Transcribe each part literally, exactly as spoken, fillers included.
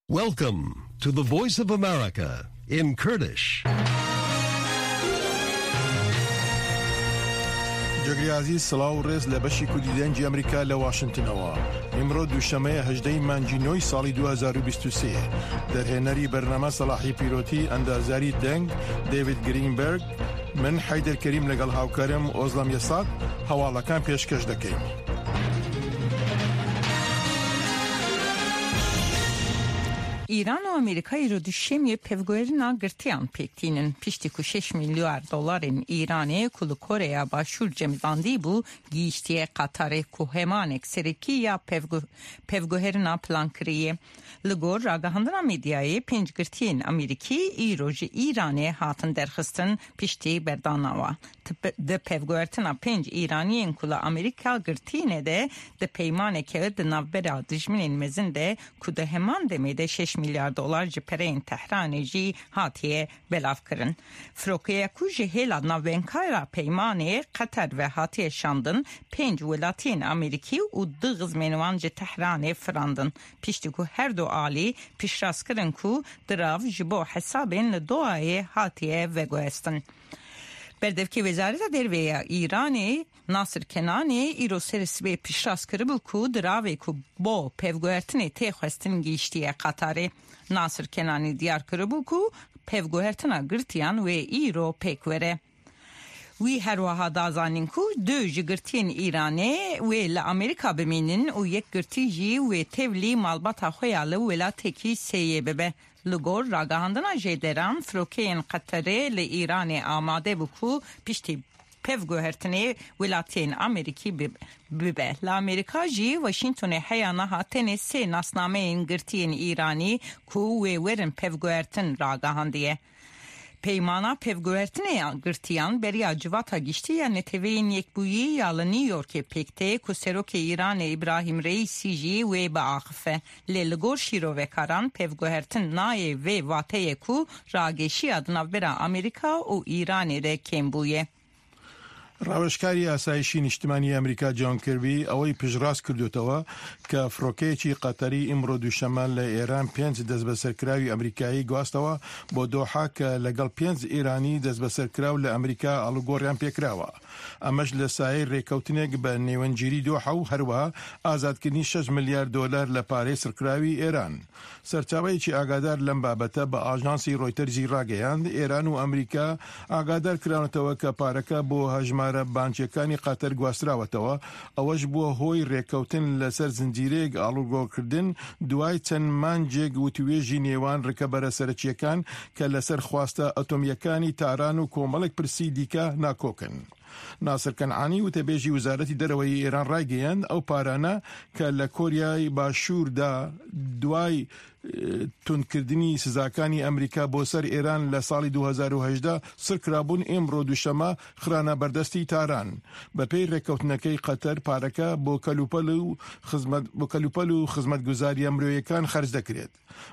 Welcome to the Voice of America in Kurdish. Cegirê ezîz, silav û rêz li beşî Kurdî Dengê Amerîka li Washingtonewa. Îmro duşemeyê hejdehê Mencî nû salî du hezar û bîst û sê. Derhênerî bername Selahî Pîrotî, endazerî deng David Greenberg, min Heyder Kerîm legel hawkerim Ozlem Yesat hewalakan pêşkeş dekeym. Îran û Amerîka îro duşemiyê pevguherina girtiyan pêk tînin. Piştî ku şeş milyar dolarên Îranê ku li Koreya Başûr cemidandî bû, gihîştiye Qatarê ku hemanek serekî ya pevgu-, pevguherina plan kiriye. Li gor ragihandina medyayê, pênc girtiyên Amerîkî îro ji Îranê hatin derxistin piştî berdana wa. Di pe-, di pevguhertina pênc Îraniyên ku li Amerîka girtîne de, di peymaneke di navbera dijminên mezin de ku di heman demê de şeş milyar dolar ji pereyên Tehranê jî hatiye belavkirin. Firokeya ku ji hêla navbenkara peymanê Qeter ve hatiye şandin, pênc welatiyên Amerîkî û du xizmên wan ji Tehranê firandin. Piştî ku her du alî piştrast kirin ku dirav ji bo hesabên li Dohayê hatiye veguhestin. Berdevkê Wezareta Derve ya Îranê Nasir Kenanê îro serê sibê piştrast kiribû ku diravê ku bo pevguhertinê tê xwestin gihîştiye Qatarê. Nasir Kenanî diyar kiribû ku pevguhertina girtiyan wê îro pêk were. Wî her wiha da zanîn ku du ji girtiyên Îranê wê li Amerîka bimînin û yek girtî jî wê tevlî malbata xwe ya li welatekî sêyê bibe. Li gor ragihandina jêderan, firokeyên Qeterê li Îranê amade bû ku piştî pevguhertinê welatiyên Amerîkî bi-, bibe. Li Amerîka jî Washingtonê heya niha tenê sê nasnameyên girtiyên Îranî ku wê werin pevguhertin ragihandiye. Peymana pevguhertinê ya girtiyan beriya Civata Giştî ya Neteweyên Yekbûyî ya li New Yorkê pêk tê ku serokê Îranê Îbrahîm Reîsî jî wê biaxife. Lê li gor şîrovekaran pevguhertin nayê vê vateyê ku rageşiya di navbera Amerîka û Îranê de kêm bûye. Rawêjkarê Asayişî Niştimanî Amerîka John Kirby ewey piştrast kirdotewe ke firokeyekî Qeterî îmro duşeme li Êran pênc destbeserkirawî Amerîkayî guhastewe bo Doha ke legel pênc Îranî destbeserkiraw li Amerîka alûgoriyan pêkirawe. Emeş li sayê rêkewtinek bi nêwencîrî Doha û herwiha azadkirinî şeş milyar dolar li parê sirkirawî Êran. Serçaveyekî agadar lem babete bi ajansî Reuters jî rageyand, Êran û Amerîka agadar kiranetwe ke pareke bo hejmara bankekanî Qatar guhastirawetewe. Ewe ji bo hoy rêkewtin li ser zincîreyek alûgorkirdin, duway çend mancek witwêjî nêwan rikebere serokyekan ke li ser xwasta atomyekanî Taran û komelek pirsî dîke nakok in. Nasir Kenanî, witebêjî Wizaretî Dereweyî Îran ragihand, ew parane ke li Koryayê Başûr de duway, e, tundkirdinî sizakanî Amerîka bo ser Îran li salî du hezar û hejdeh sir kirabûn, îmro duşeme xirane berdestî Taran. Bi pey rêkewtinekê Qeter pareke bo kelûpel û xizmet, bo kelûpel û xizmetguzariya miroyekan xerc dekirêt.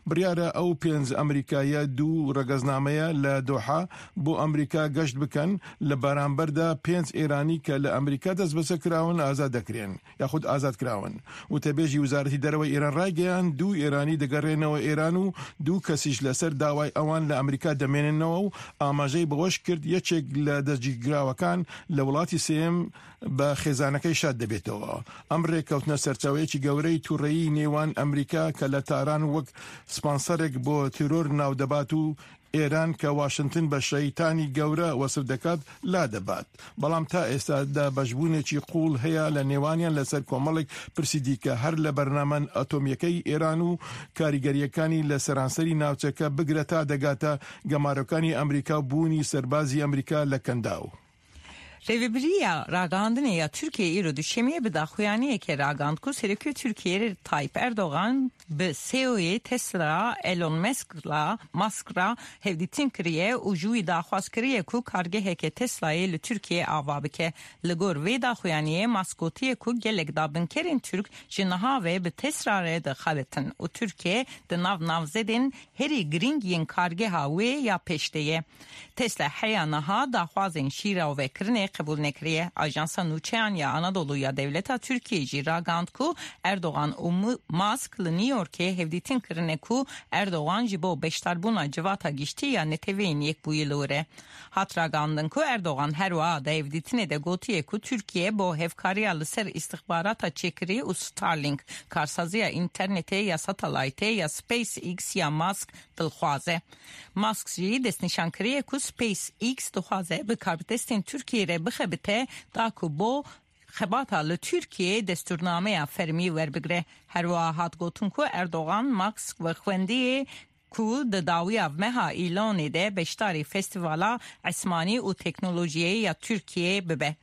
Biryar e ew pênc Amerîkayî du regeznameyê li Doha bo Amerîka geşt bikin, li beramber de pênc Îranî ke li Amerîka destbese kirawin azad dekirên, yaxud azad kirawin. Witebêjî Wizaretî Dereweyê Îran ragihand, du Îranî digerênewe Îran û du kesî ji li ser daway ewan li Amerîka demêninnewe û amajeyî bi weş kir, yekek li destgîrkirawekan li welatî sêyem bi xêzanekê şad dibêtêwe. Em rêkewtine serçaweyekî gewreyî tûreyî nêwan Amerîka ke li Taran wek sponserek bo teror nav dibat û Îran ke Washington bi şeytanî gewre wesif dikat, la dibat. Belam ta êsta de beşbûnekî qûl heye li nêwaniyan li ser komelek pirsî dîke, her li bernamen atomyekeyî Îran û karîgeriyekanî li seranserî navçeke bigire ta degate gemarokanî Amerîka û bûnî serbazî Amerîka li Kendaw. Rêvebiriya Ragihandinê ya Tirkiyeyê îro duşemiyê bi daxuyaniyekê ragihand ku Serokê Tirkiyeyê Tayyip Erdogan bi C E O'yê Tesla Elon Musk'la, Musk re hevdîtin kiriye û ji wî daxwaz kiriye ku kargeheke Tesla'yê li Tirkiyeyê ava bike. Li gor vê daxuyaniyê Musk gotiye ku gelek dabinkerên Tirk ji niha ve bi Tesla re dixebitin û Tirkiye di nav navzedên herî girîng yên kargeha wê ya pêş de ye. Tesla heya niha daxwazên şîrovekirinê qebûl nekiriye. Ajansa Nûçeyan ya Anadolu ya Dewleta Tirkiyê jî ragihand ku Erdogan û Mu- Musk li New Yorkê hevdîtin kirine ku Erdogan ji bo beşdarbûna Civata Giştî ya Neteweyên Yekbûyî li wir e. Hat ragihandin ku Erdogan her wiha di hevdîtinê de gotiye ku Tirkiye bo hevkariya li ser îstixbarata çêkirî û Starlink, karsaziya înternetê ya satelaytê ya SpaceX ya Musk dilxwaze. Musk jî destnîşan kiriye ku SpaceX dixwaze bi karbidestên Tirkiyê re bixebite da ku bo xebata li Tirkiyeyê destûrnameya fermî werbigire. Her wiha hat gotin ku Erdogan Musk vexwendiyê ku di dawiya meha Îlonê de beşdarî Festîvala Esmanî û Teknolojiyê ya Tirkiyeyê bibe.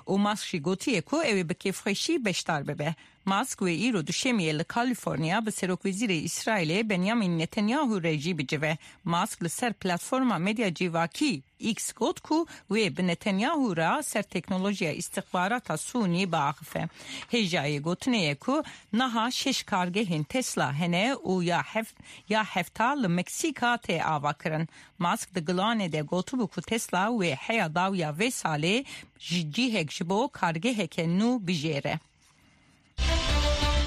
Û Musk jî gotiye ku ew ê bi kêfxweşî beşdar bibe. Musk wê îro duşemiyê li Kalîforniya bi Serokwezîrê Îsraîlê Benjamin Netanyahu re jî bicive. Musk li ser platforma medya civakî X got ku wê bi Netanyahu re ser teknolojiya îstixbarata Sûnî biaxife. Hêjayê gotinê ye ku niha şeş kargehên Tesla hene û ya heft, ya hefta li Meksîka tê avakirin. Musk di gulanê de gotibû ku Tesla wê heya dawiya vê salê ji cihek ji bo kargeheke nû bijêre.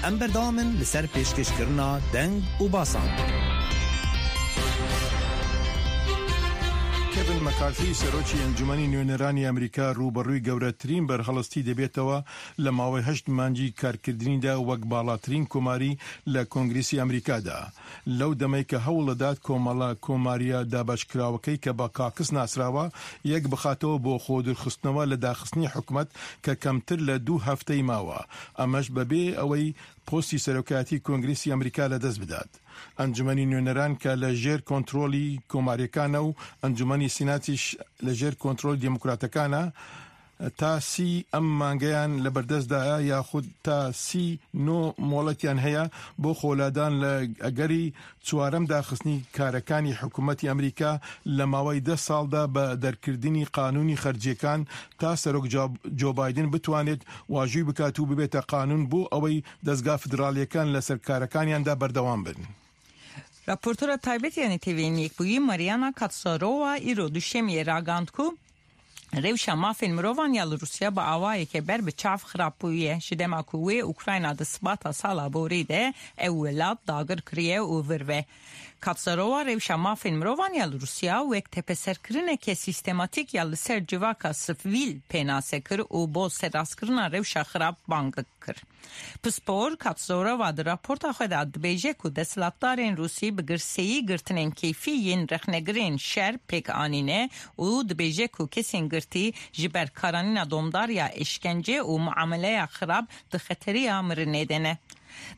Em berdewam in li ser pêşkêşkirina deng û basan. Kevin McCarthy, serokê Encûmenî Nûnerên Amerîka, rûberoyê gewretirîn berhelistî dibêtî li mawê heşt mengî karkirinî de wek balatirîn komarî li Kongresa Amerîka de. Lew demê ku hewl didat komela-, komariya dabeşkirawekî ku bi caucus nasrawa, yek bixatewe bo xwedûrxistinê li daxistinê hikûmet ku kemtir li du hefteyê mawe. Emeş bebê ewê postê serokatî Kongresa Amerîka li dest bidat. Encûmenê Nûnerên ku li jêr kontrolê komariyekane û Encûmenê Senatê jî li jêr kontrolê demokratekan e, ta sî em mangeyan li berdest de ye, yaxud ta sî nû mohletiyan heye bo xweladan li egerî çarem daxistinê karekanê hikûmetê Amerîka li mawê deh sal de bi derkirinê qanûnê xerciyêkan, ta serok Jo-, Joe Biden bitwanêt wajî bikat û bibête qanûn bo ewê dezga federaliyêkan li ser karekaniyan de berdewam bin. Raportora taybet ya Neteweyên Yekbûyî Mariana Katsarova îro duşemiyê ragihand ku rewşa mafên mirovan ya li Rûsya bi awayeke ber bi çav xirab bûye, ji dema ku wê Ukrayna di sibata sala borî de ew welat dagir kiriye û vir ve. Katsarova rewşa mafên mirovan ya li Rûsya wek tepeserkirineke sîstematîk ya li ser civaka sivîl pênase kir û bo serrastkirina rewşa xirab bang kir. Pispor Katsarova di raporta xwe de dibêje ku desthilatdarên Rûsî bi girseyî girtinên keyfî yên rexnegirên şer pêk anîne û dibêje ku kesên girtî ji ber karanîna domdar ya îşkence û muameleya xirab di xeteriya mirinê de ne.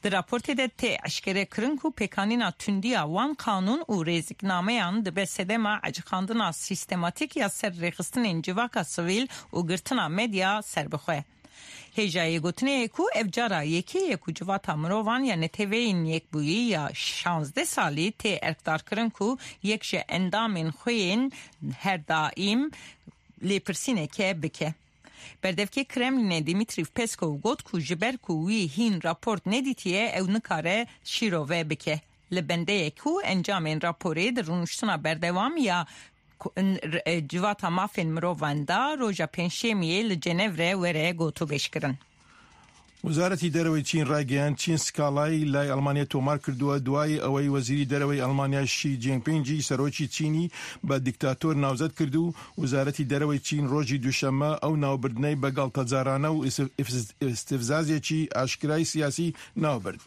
Di raportê de tê eşkere kirin ku pêkanîna tundiya wan qanûn û rêziknameyan dibe sedema ecixandina sîstematîk ya ser rêxistinên civaka sivîl û girtina medya serbixwe. Hêjayê gotinê ye ku ev cara yekê ye ku Civata Mirovan ya Neteweyên Yekbûyî ya şazdeh salî tê erkdarkirin ku yek ji endamên xwe yên her daîm lêpirsîneke bike. Berdevkê Kremlînê Dimitrî Peskov got ku ji ber ku wî hîn raport nedîtiye, ew nikare şîrove bike. Li bendeyek ku encamên raporê di rûniştina berdewam ya ku-, n-, r-, e, Civata Mafên Mirovan da roja Pêncşemiyê li Cenevre were gotûbêjkirin. Wizaretî Derewê Çîn ragihand, Çîn skalayî lay Almanyayê tomar kiriye, duayê ewey Wezîrî Derewê Almanya Xi Jinping jî serokî Çînî bi dîktator navzet kir û Wizaretî Derewê Çîn rojî Duşeme ew navbirdiney bi galtacarane û îstif-, îfz-, îstifzazekî aşkirayî siyasî navbird.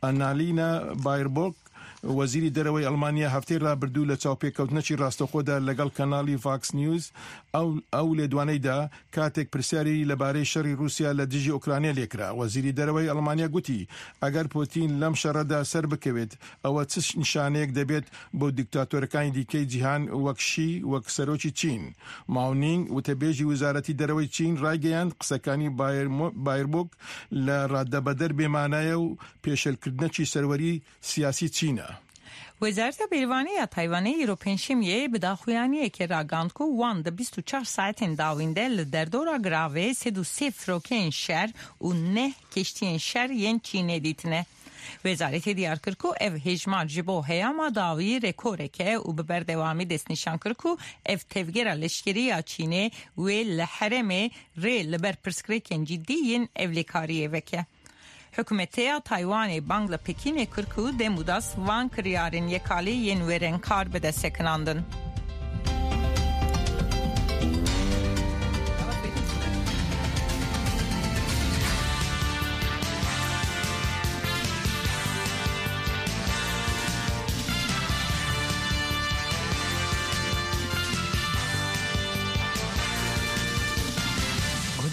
Annalena Baerbock, Wezîrî Derewê Almanya hefteyê rabirdû li çaupêkewtinekî rastexwe de legel kanalî Fox News ew, ew lêdwaneyê da, katek pirsyarî li barê şerî Rûsya li dijî Ukraynê lê kira. Wezîrî Derewê Almanya gotî, eger Putin lem şerre de ser bikewêt, ew çi nîşaneyek debêt bo dîktatorekanî dîkey cîhan wek Şî, wek serokî Çîn. Mao Ning, witebêjî Wizaretî Derewê Çîn, ragihand, qisekanî Baermo-, Baerbock li radebeder bêmane ye û pêşelkirinekî serwerî siyasî Çîn e. Wezareta Bêrîvanê ya Taywanê îro Pêncşemiyê bi daxuyaniyekê ragihand ku wan di bîst û çar saetên dawîn de li derdora giravê sed û sê firokeyên şer û neh keştiyên şer yên Çînê dîtine. Wezaretê diyar kir ku ev hêjmar ji bo heyama dawî rekorek e û bi berdewamî destnîşan kir ku ev tevgera leşkerî ya Çînê wê li herêmê rê li ber pirsgirêkên cidî yên ewlekariyê veke. Hikûmetê ya Taywanê bang li Pekînê kir ku dem û das van kiryarên yekalî yên wêrenkar bide sekinandin.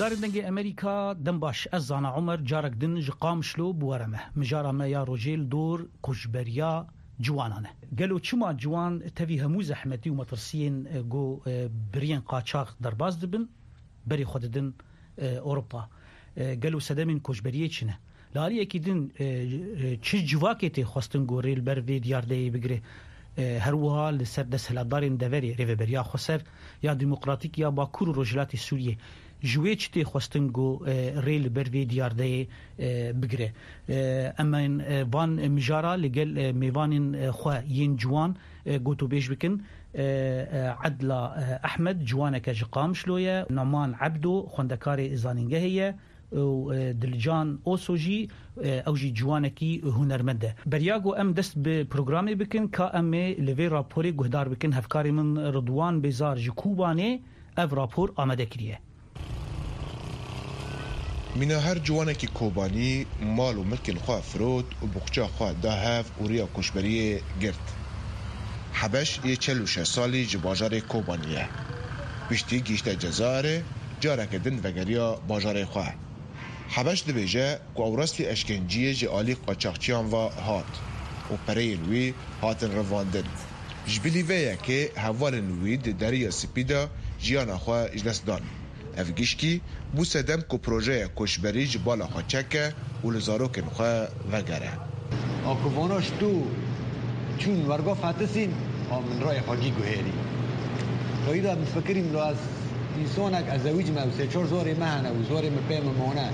Guhdarên Dengê Amerîka, dem baş. Ez Zana Omer, carek din ji Qamişlo bi we re me. Mijara me ya rojê li dor koçberiya ciwanan e. Gelo çima ciwan tevî hemû zehmetî û metirsiyên, e, ku, e, biriyên qaçax derbas dibin, berê xwe didin, e, Ewropa? E, gelo sedemên koçberiyê çi ne? Li aliyekî din, e, e, çi civakê tê xwestin ku rê li ber vê diyardeyê bigire? E, her wiha li ser desthilatdarên deverê, Rêveberiya Xweser ya Demokratîk ya Bakur û Rojhilatê Sûriyê, ji wê çi tê xwestin ku, e, rê li ber vê diyardeyê, e, bigire? E, em ên, e, van mijara li gel, e, mêvanên, e, xwe yên ciwan, e, gotûbêj bikin. E, e, Edla, e, Ehmed, ciwaneke ji Qamişlo ye, Noman Ebdo, xwendekarê zanîngehê ye, û, e, Dilcan Oso jî, e, ew jî ciwanekî hunermend e. Beriya ku em dest bi programê bikin, ka em ê li vê raporê guhdar bikin, hevkarê min Ridwan Bêzar ji Kobanê ev rapor amade kiriye. Mîna her ciwanekî Kobanî mal û milkên xwe firot û boxça xwe da hev û riya koçberiyê girt. Hebeş yê çel û şeş salî ji bajarê Kobanî ye. Piştî gihîşte Cezayirê, careke din vegeriya bajarê xwe. Hebeş dibêje ku ew rastî eşkenciyê ji alî qaçaxçiyan ve hat û pereyên wî hatin revandin. Ji bilî vê yekê hevalên wî di Deriya Spî de jiyana xwe ji dest dan. Ev gişkî bû sedem ku projeya koçberî ji bala xwe çeke û li zarokên xwe vegere. A ku vana ji tu çûn werga fetisîn, a min rayê xwe gî guhêrî. Rayî de min fikirîm lo ez însanek ez zewîc me û sê çar zorê me hene û zorê min pê min mane.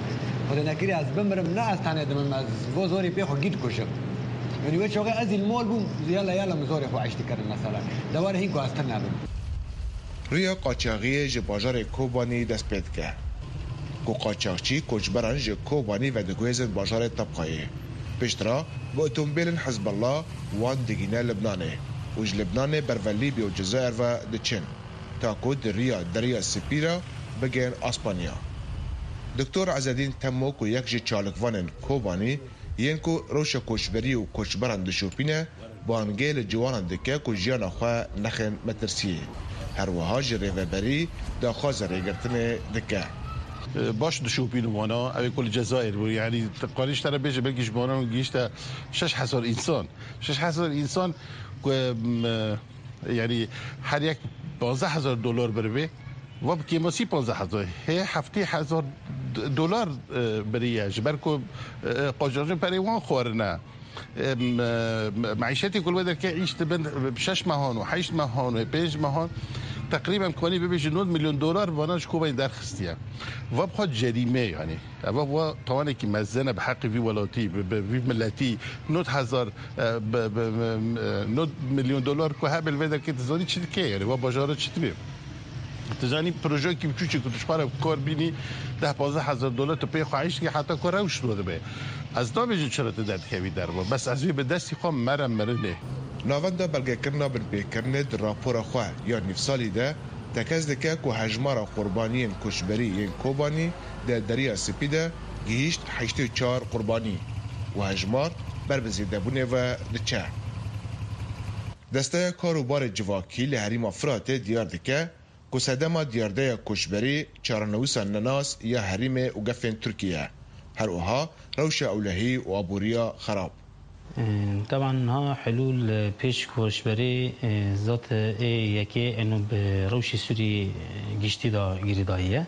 Xwedê nekirî ez bimirim, ne ez tenê dimim, ez bo zorê pê xwe gî dikujim. Yanî wê çaxê ez î li mal bûm, yala yala min zorê xwe eştî kirin mesela. De were hîn ku ez tune bim. Riya qaçaxiyê ji bajarê Kobanî dest pê dike. Ku qaçaxçî koçberan ji Kobanî vediguhêzin bajarê Tebqayê. Piştre bi otomobîlên Hizbullah wan digîne Libnanê û ji Libnanê ber ve Lîbya û Cezayir ve diçin, ta ku di riya Deriya Spî re bigên Aspanya. Doktor Ezedîn Temo ku yek ji çalikvanên Kobanî yên ku rewşa koçberî û koçberan dişopîne, bangê li ciwanan dike ku jiyana xwe nexin metirsiyê. Her wiha ji rêveberî daxwaza rêgirtinê dike. Baş dişopînin wana, ew ê ku li Cezayir bû. Yanî, tu karî ji te re bêje, belkî ji wana gihîşte şeş hezar însan. Şeş hezar însan ku, em, yanî, her yek panzdeh hezar dolar biribe, va bi kêmasî panzdeh hezar. Hê heftê hezar d-, dolar, e, biriye. Ji ber ku, e, qaçaxçî perê wan xwarine. Em, e, me-, meîşetê ku li wê derkê îş dibin, bi şeş mehan û heşt mehan û pênc mehan, teqrîben kanî bibêjin nod milyon dolar vana ji Kobanî derxistiye. Va bi xwe cerîme, yanî. Eva va tawanekî mezin e bi heqê vî welatî, bi, bi vî miletî. Nod hezar, e, bi, bi, bi, e, nod milyon dolar ku hebe li vê derkê tu zanî çi dike, yanî va bajara çi dibe? Tu zanî projeyekî biçûçê ku tu ji xwe re kar bînî, deh panzdeh hezar dolar tu pê xwe hişt kî heta ku rewş rû dibe. Ez nabêjim çira tu derdikevî derve. Bes ez vê bi destî xwe mere mirinê. Navenda belgekirina binpêkirinê di rapora xwe ya nîvsalî de tekez dike ku hejmara qurbaniyên koçberî yên Kobanî di Deriya Spî de gihîşt heştê û çar qurbanî û hejmar ber bi zêdebûnê ve diçe. Desteya Kar û Barê Civakî li herêma Firatê diyar dike, ku sedema diyardeya koçberî çarenivîsa nenas ya herêmê û gefên Tirkiyê ye. Her wiha rewşa ewlehî û aboriya xerab. Teban niha helûl, e, pêş koçberî, e, zat, e, ê yekê eno bi rewşê Sûrî, e, giştî de girêdayî ye.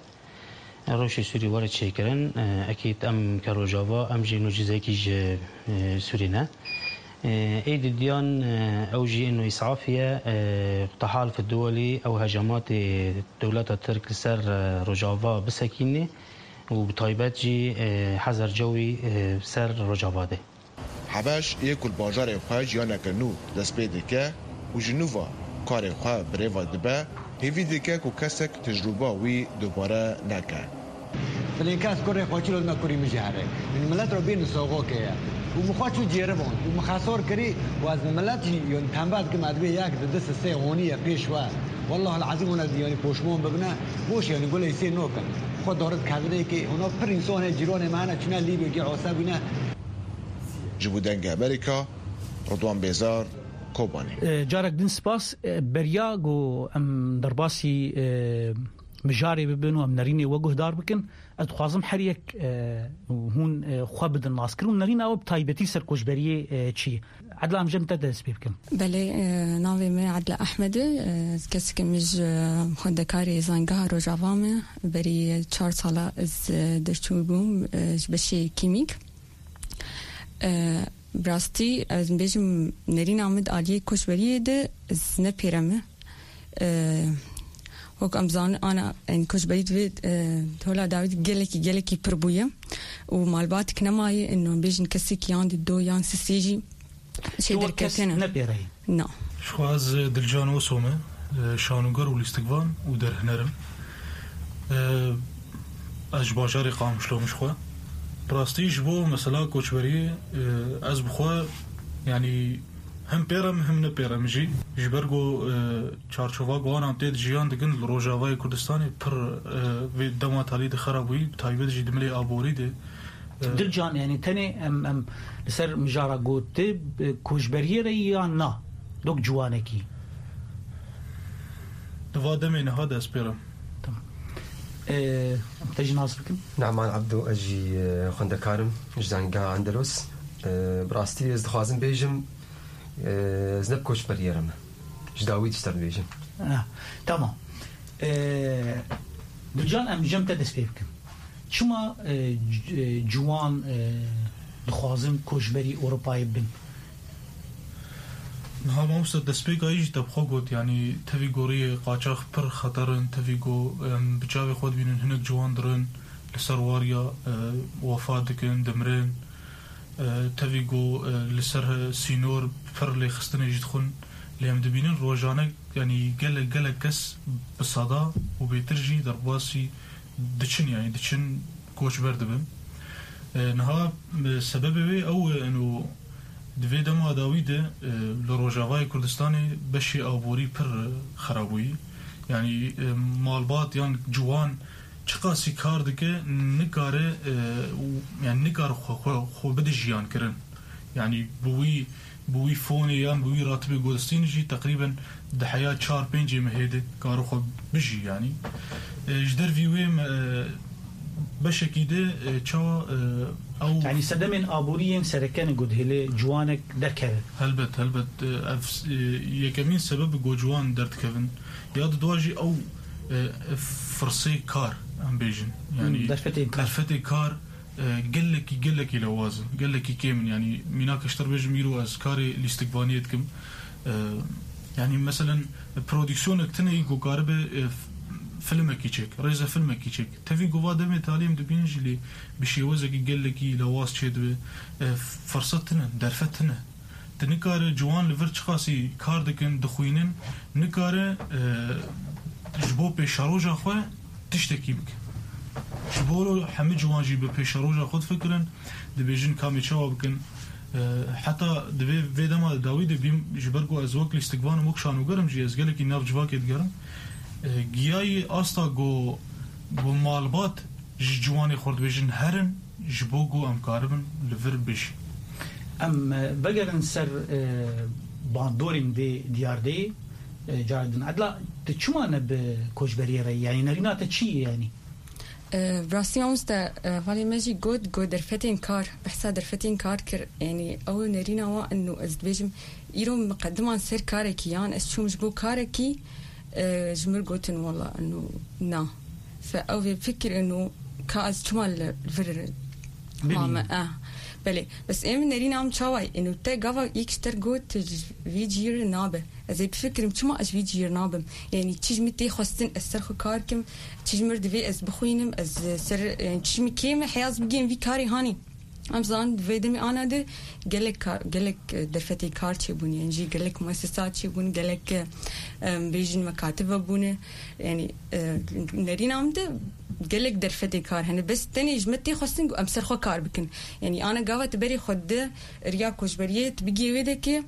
Rewşê Sûrî were çêkirin, e, ekîd em ke Rojava, em jî nû cizekî ji, e, Sûrî ne. Ê didiyan, ew jî ino îsafî ye, tahal fi duwelî ew hecamatê dewleta Tirk li ser Rojava bisekînê û bi taybet jî hezar cewî ser Rojava de. Hebeş yê ku li bajarê xwe jiyaneke nû dest pê dike û ji nû ve karê xwe bi rê ve dibe, hêvî dike ku kesek tecrûba wî dubare neke. Filên kes kurê xwe çilo dime kurî min jî here. Min milet re bîn soxokê ye. Û min xwe çû cêribon. Û min xesor kirî û ez milet jî yon tembel dikim ez bê yek di du sisê honî ye pêş we. Wallah el azîm hûn ez yanî poşmon bibine. Boş yanî gulê sê nokin. Xwe dorit kevinê ki hûn o pir însan hê cîronê me hene çûne Lîbyo gê ose bûne. Ji bo Dengê Amerîka, Ridwan Bêzar, Kobanê. E, carek din spas. E, beriya ku em derbasî, e, mijarê bibin û em nerînê we guhdar bikin, ez dixwazim her yek, e, hûn, e, xwe bidin naskirin û nerîna we bi taybetî ser koçberiyê, e, çi ye? Edla, em ji te dest pê bikin. Belê, e, navê me Edla Ehmed e. E, ez kesekî min ji xwendekarê Zangeha Rojava me. Berî çar sala ez, e, derçûbûm, e, ji beşê kîmîk. E, bi rastî, ez bêjim, nerîna min di aliyê koçberiyê de ez ne pêre me. E, wek em zanin, ana, yani, koçberî divê, e, di hola dawî de gelekî, gelekî pir bûye û malbatek nemaye, ino bêjin kesekî yan di do yan sisê jî şey derketine. Ne pêre yî? Na. Ji xwe ez Dilcan Oso me, e, şanoger û lîstikvan û derhiner im. E, ez ji bajarê Qamişlo me ji xwe. Bi rastî ji bo mesela koçberiyê, e, ez bi xwe, yanî, hem pêre me hem ne pêre me jî. Ji ber ku, e, çarçova ku ana em tê de jiyan dikin li Rojavayê Kurdistanê pir, e, vê dema talî de xera bûyî, bi taybet jî di milê aborî de. Dilcan, yani tenê em, em li ser mijara gotê, e, koçberiyê re ya na? Dok ciwanekî. Di va demê niha dest pê re. Tamam. E, em te jî nas bikin. Neman Abdo, ez jî, e, xwendekar im ji Zangeha Endelos. E, bi rastî ez dixwazim bêjim, e, ez ne bi koçberiyê re me. Ji dawî dişter dibêjim. Ah, tamam. E, Dilcan, em ji em te dest pê bikin. Çima, e, c-, e, ciwan, e, dixwazin koçberî Ewropayê bin? Niha mamoste destpêka yî jî te bi xwe got, yanî tevî goriyê qaçax pir xeter in, tevî go, em, bi çavê xwe dibînin hinek ciwan dirin, li ser wariya, e, wefa dikin, dimirin. E, tevî go, e, li ser, e, sînor pir lêxistinê jî dixwin. Lê em dibînin rojane, yanî gelek, gelek kes bi seda û bêtir jî derbasî diçin, yanî diçin koçber dibin. E, niha, e, sebebê wê ew e, eno di vê dema dawî de, e, li Rojavayê Kurdistanê beşê aborî pir, e, xera bûyî. Yanî, e, malbat yan ciwan çiqasî kar dike, nikare, e, û, yanî nikare xwe, xwe, xwe bide jiyan kirin. Yanî bi wî Bi wî fonê yan bi wî ratibê gotistînê jî teqrîben di heya çar pêncê mehê de karo xwe bijî, yanî. E, ji dervî wê me, e, beşekî de, e, çawa, e, ew Yanî sedemên aborî yên sereke ne ku dihêle ciwanek derkeve. Helbet, helbet. E, ev, e, yekemîn sebeb ku ciwan derdikevin. Ya di dua jî ew, e, firsê kar, em bêjin. Yanî Hmm, derfetên kar. Derfetê kar, e, gelekî, gelekî lewaz in, gelekî kêm in. Yanî mînak ji te re bêjim, îro ez karê lîstikvaniyê dikim. E, yanî meselen prodîksiyonek tune yî ku karibe, e, f-, filmekî çêk, rêzefilmekî çêk. Tevî ku va demê talî em dibînin jî lê bi şêwezekî gelekî lewaz çêdibe. E, firset tune, derfet tune. Tu nikare ciwan li vir çiqasî kar dikin, dixwînin, nikare, e, ji bo pêşeroja xwe tiştekî bike. Ji bo hemî ciwan jî bi pêşeroja xwe difikirin, dibêjin kamê çawa bikin. E, heta di vê, vê dema dawî de bîm, ji ber ku ez wek lîstikvan im, wek şanoger im jî, ez gelekî nav civakê digerim. E, giyayî asta ku, ku malbat ji ciwanê xwe dibêjin herin, ji bo ku em karibin li vir bijî. Em, e, vegerin ser, e, bandorên vê diyardeyê, e, cara din. Edla, tu çima ne bi koçberiyê re yî? Yanî nerîna te çi ye yanî? E, bi rastî mamoste, e, hevalê me jî got, got derfetên kar, behsa derfetên kar kir. Yanî ew nerîna wan in û ez dibêjim, îro miqediman ser karekî yan ez çûm ji bo karekî, e, ji mir gotin wela ino na. Fe ew vê fikir ino ka ez çima li vir Bibînim. Mame, eh. Belê, bes êm nerîna min çawa ye? Êno te gava yek ji te got, tu ji vî cîr nabe. Ez ê bifikirim, çima ez ji vî cîr nabim? Yanî çi ji min tê xwestin, ez ser xwe kar kim, çi ji min re divê ez bixwînim, ez ser, yanî çi ji min kêm e, heya ez bigihim vî karê hanî. Em zanin di vê demê ana de gelek ka-, gelek, e, derfetê kar çêbûn, yanî jî gelek muessesat çêbûn, gelek, e, em bêjin mekativ hebûne. Yanî, e, nerîna min de gelek derfetê kar hene. Bes tenê ji me tê xwestin ku em ser xwe kar bikin. Yanî ana gava tu berê xwe di riya koçberiyê, tu bigihê wê dekê,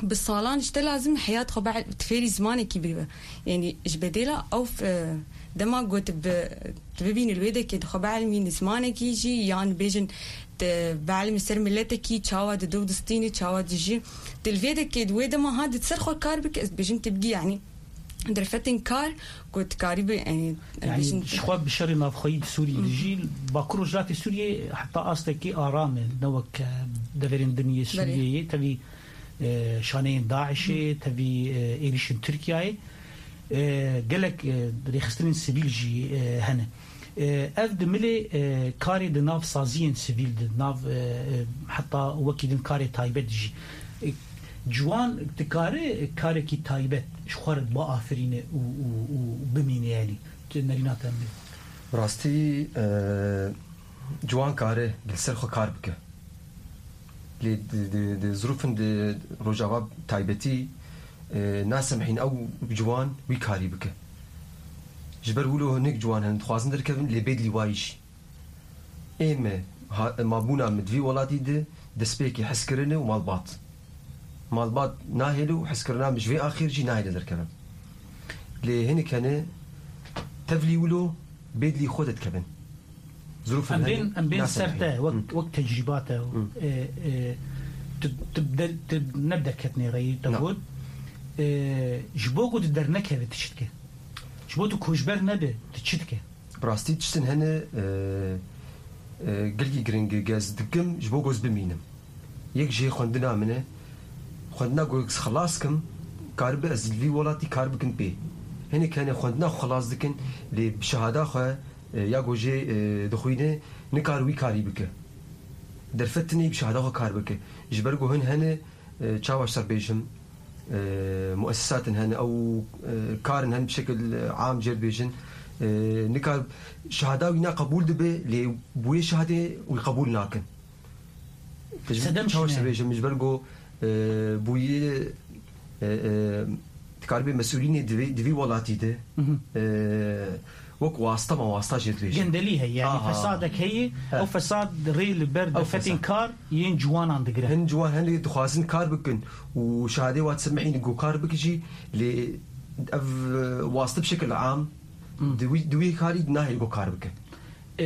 bi salan ji te lazim heyat xwe be-, tu fêrî zimanekî biribe. Yanî ji bedêla ew f-, e, dema got bi, tu bibînî li wê dekê di xwe bielmînî zimanekî jî, yan bêjin tu bielmî ser miletekî, çawa dido û distînî, çawa dijî. Tu li vê dekê di wê dema ha di ser xwe kar bike, ez dibêjim tu bigî, yanî derfetên kar ku tu karî bi, yanî, em Yanî bêjin ji xwe bi şerê navxweyî di Sûriyê de jî, Bakur Rojhilatê Sûriyê heta astekî aram e, ne wek, e, deverên din yê Belê. Sûriyeyê. Tevî, e, şaneyên DAIŞê, tevî, e, êrîşên Tirkiyeyê, e, gelek, e, rêxistinên sivîl jî, e, hene. E, ev di milê, e, karê di nav saziyên sivîl, di nav, e, e, heta wekî din karê taybet jî. E, ciwan dikare karekî taybet ji xwe re biafirîne û, û, û bimîne, yanî. Tu nerîna te min. Bi rastî, e, ciwan kare li ser xwe kar bike. Lê di, di, di zirûfin di Rojava taybetî, e, nasemhîn ew ciwan wî karî bike. Ji ber wilo hinek ciwan hene dixwazin derkevin, lê bêdlî wayî jî. Ê me, ha-, mabûna min di vî welatî de destpêkê hezkirin e û malbat. Malbat nahêle û hezkirina min ji vê axêr jî nahêle derkevin. Lê hinek hene tevlî wilo bêdlî xwe de dikevin. Zirûfin Em hene, bên, em bên ser nasemhîn. Te, wek, Hı. wek tecrîba te, Hı. e, e, tu, tu der-, tu ne bi derketinê re yî, te Na. got, e, ji bo ku tu dernekeve, tu çi dike? Ji bo tu koçber nebe, tu çi dike? Bi rastî tiştin hene, e, e, gelkî giring e, ez dikim, ji bo ku ez bimînim. Yek jê xwendina min e. Xwendina ku ez xilas kim, karibe ez li vî welatî kar bikim pê. Hinek hene xwendina xwe xilas dikin, lê bi şehada xwe, e, ya ku jê, e, dixwîne, nikar wî karî bike. Derfet tune bi şehada xwe kar bike. Ji ber ku hin hene, e, çawa ji te bêjim, e, muessesatin hene, ew, e, karin hene bi şekil, e, am jê dibêjin. E, nikar şehada wî ne qebûl dibe, lê bi wê şehadê wî qebûl nakin. Sedem çawa çi ne? Dibêjim, ji ber ku, e, bûyî, e, e, dikaribê mesûlînê di vî, di vî welatî de, Mhm. e, wek wasta ma wasta jê dibêjin. Gendelî heye, yani Aha. fesadek heye, He. o fesad rê li ber Ew derfetên fesad. kar yên ciwanan digire. Hin ciwan hene dixwazin kar bikin û şehadê wa disemihînin ku kar bike jî, lê ev, e, waste bi şekil am, Hmm. di wî, di wî karî nahêle ku kar bike. E,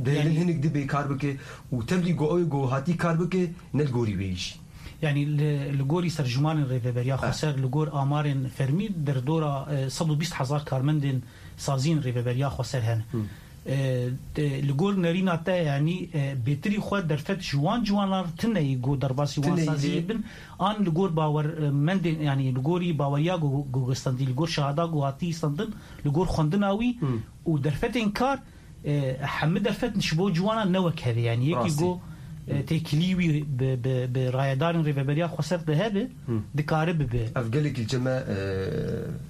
Dihêlin yani hinek dibê kar bike û tevlî ku ew ku hatî kar bike, ne li gorî wê jî. Yani li, li gorî serjimanên Rêveberiya Ah. Xweser, li gor amarên fermî derdora, e, sed û bîst hezar karmendên saziyên Rêveberiya Xweser hene. Hmm. E, de, li gor nerîna te, yani, e, bêtirî xwe derfet ji wan ciwanan re tune yî ku derbasî wan Tune yî saziyê lê bin, an li gor bawer, e, mendên, yani li gorî baweriya ku, ku gestandî, li gor şehada ku hatî standin, li gor xwendina wî Hmm. û derfetên kar, e, hemî derfet ji bo ciwanan ne wek hevê, yani yekî Rastî. ku, e, Hı. têkilî wî bi, bi, bi rayedarên Rêveberiya Xweser de hebe, Hı. dikare bibe. Ev gelekî li cem me, e,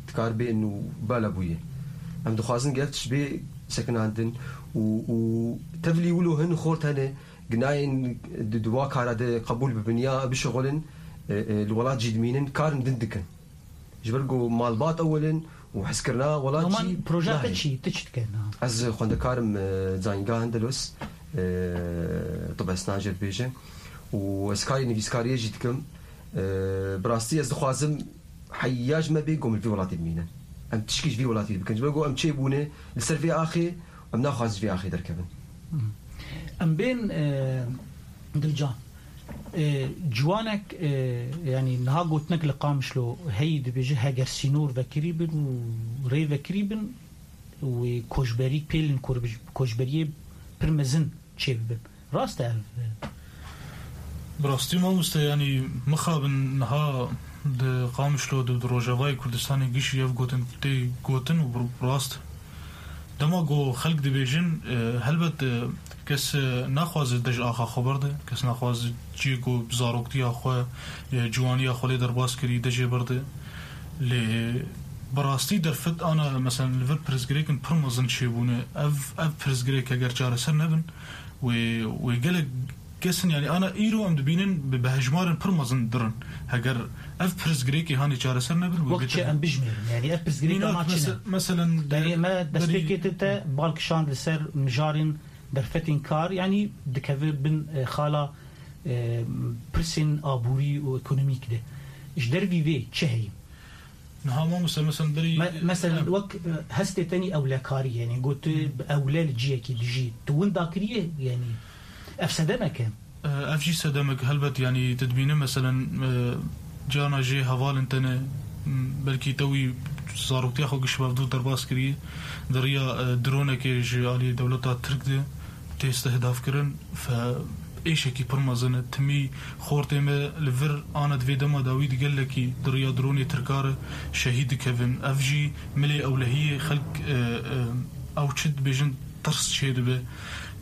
dikar bê û bala bûye. Em dixwazin gef tişt bê sekinandin û, û tevlî wilo hin xort hene, ginayên di, di wa kara de qebûl bibin ya bişixulin, e, e, li welat jî dimînin, karin din dikin. Ji ber ku malbat ewil in û hezkirina welat Noman, jî proja te nahê. çi? Tu çi dike niha? Ez xwendekarim, e, Zanîngeha Endelos, e, tibestan jê dibêje û ez karê nivîskariyê jî dikim. E, bi rastî ez dixwazim heya ji me bê ku em li vî welatî bimînin. Em tişkî ji vî welatî bikin. Ji ber ku em çêbûne li ser vê axê, em naxwazin ji vê axê derkevin. Em bên, e, Dilcan. E, ciwanek, e, yani niha gotinek li Qamişlo heyî dibêje, heger sînor vekirî bin û rê vekirî bin, wê koçberî, pêlên kor-, koçberiyê pir mezin çêbibin. Rast e ev? Bi rastî mamoste, yanî mixabin niha di Qamişlo, di, di Rojavayê Kurdistanê gişî ev gotin tê gotin û bi rast. Dema ku xelk dibêjin, e, helbet, e, Kes, e, naxwaze dej axa xwe berde, kes naxwaze cihê ku zaroktiya xwe, e, ciwaniya xwe lê derbas kirî, dejê berde. Lê bi rastî derfet ana, meselen, li vir pirsgirêkin pir mezin çêbûne. Ev, ev pirsgirêk heger çareser nebin, wê, wê gelek kes in, yanî ana îro em dibînin bi, bi hejmarên pir mezin dirin. Heger ev pirsgirêkê hanê çareser nebin, wê Wek çi bêtir em bijmêrin? Yanî ev pirsgirêka Mînak, ma çi ne? mese-, meselen, Berê me berî destpêkê te, te bal kişand li ser mijarên derfetên kar, yanî dikeve bin, e, xala, e, pirsên aborî û ekonomîk de. Ji dervî vê çi heye? Niha mamoste, mesela berî Me-, mesela Em. wek, e, hestê tenî ewlekarî, yanî got tu bi ewle li ciyekî dijî. Tu winda kiriye, yanî ev sedemek e? E, ev jî sedemek, helbet, yanî tu dibîne, meselen, e, carna jê hevalên te ne, m, belkî te wî zaroktiya xwe giş bevdû derbas kiriye, di riya, e, dronekê ji alî dewleta Tirk de tê istihdafkirin, fe êşekî pir mezin e. Timî xortê me li vir ana di vê dema dawî di gelekî di riya dronê Tirka re şehîd dikevin. Ev jî milê ewlehiyê xelk, e, e, ew çi dibêjin, tirs çêdibe.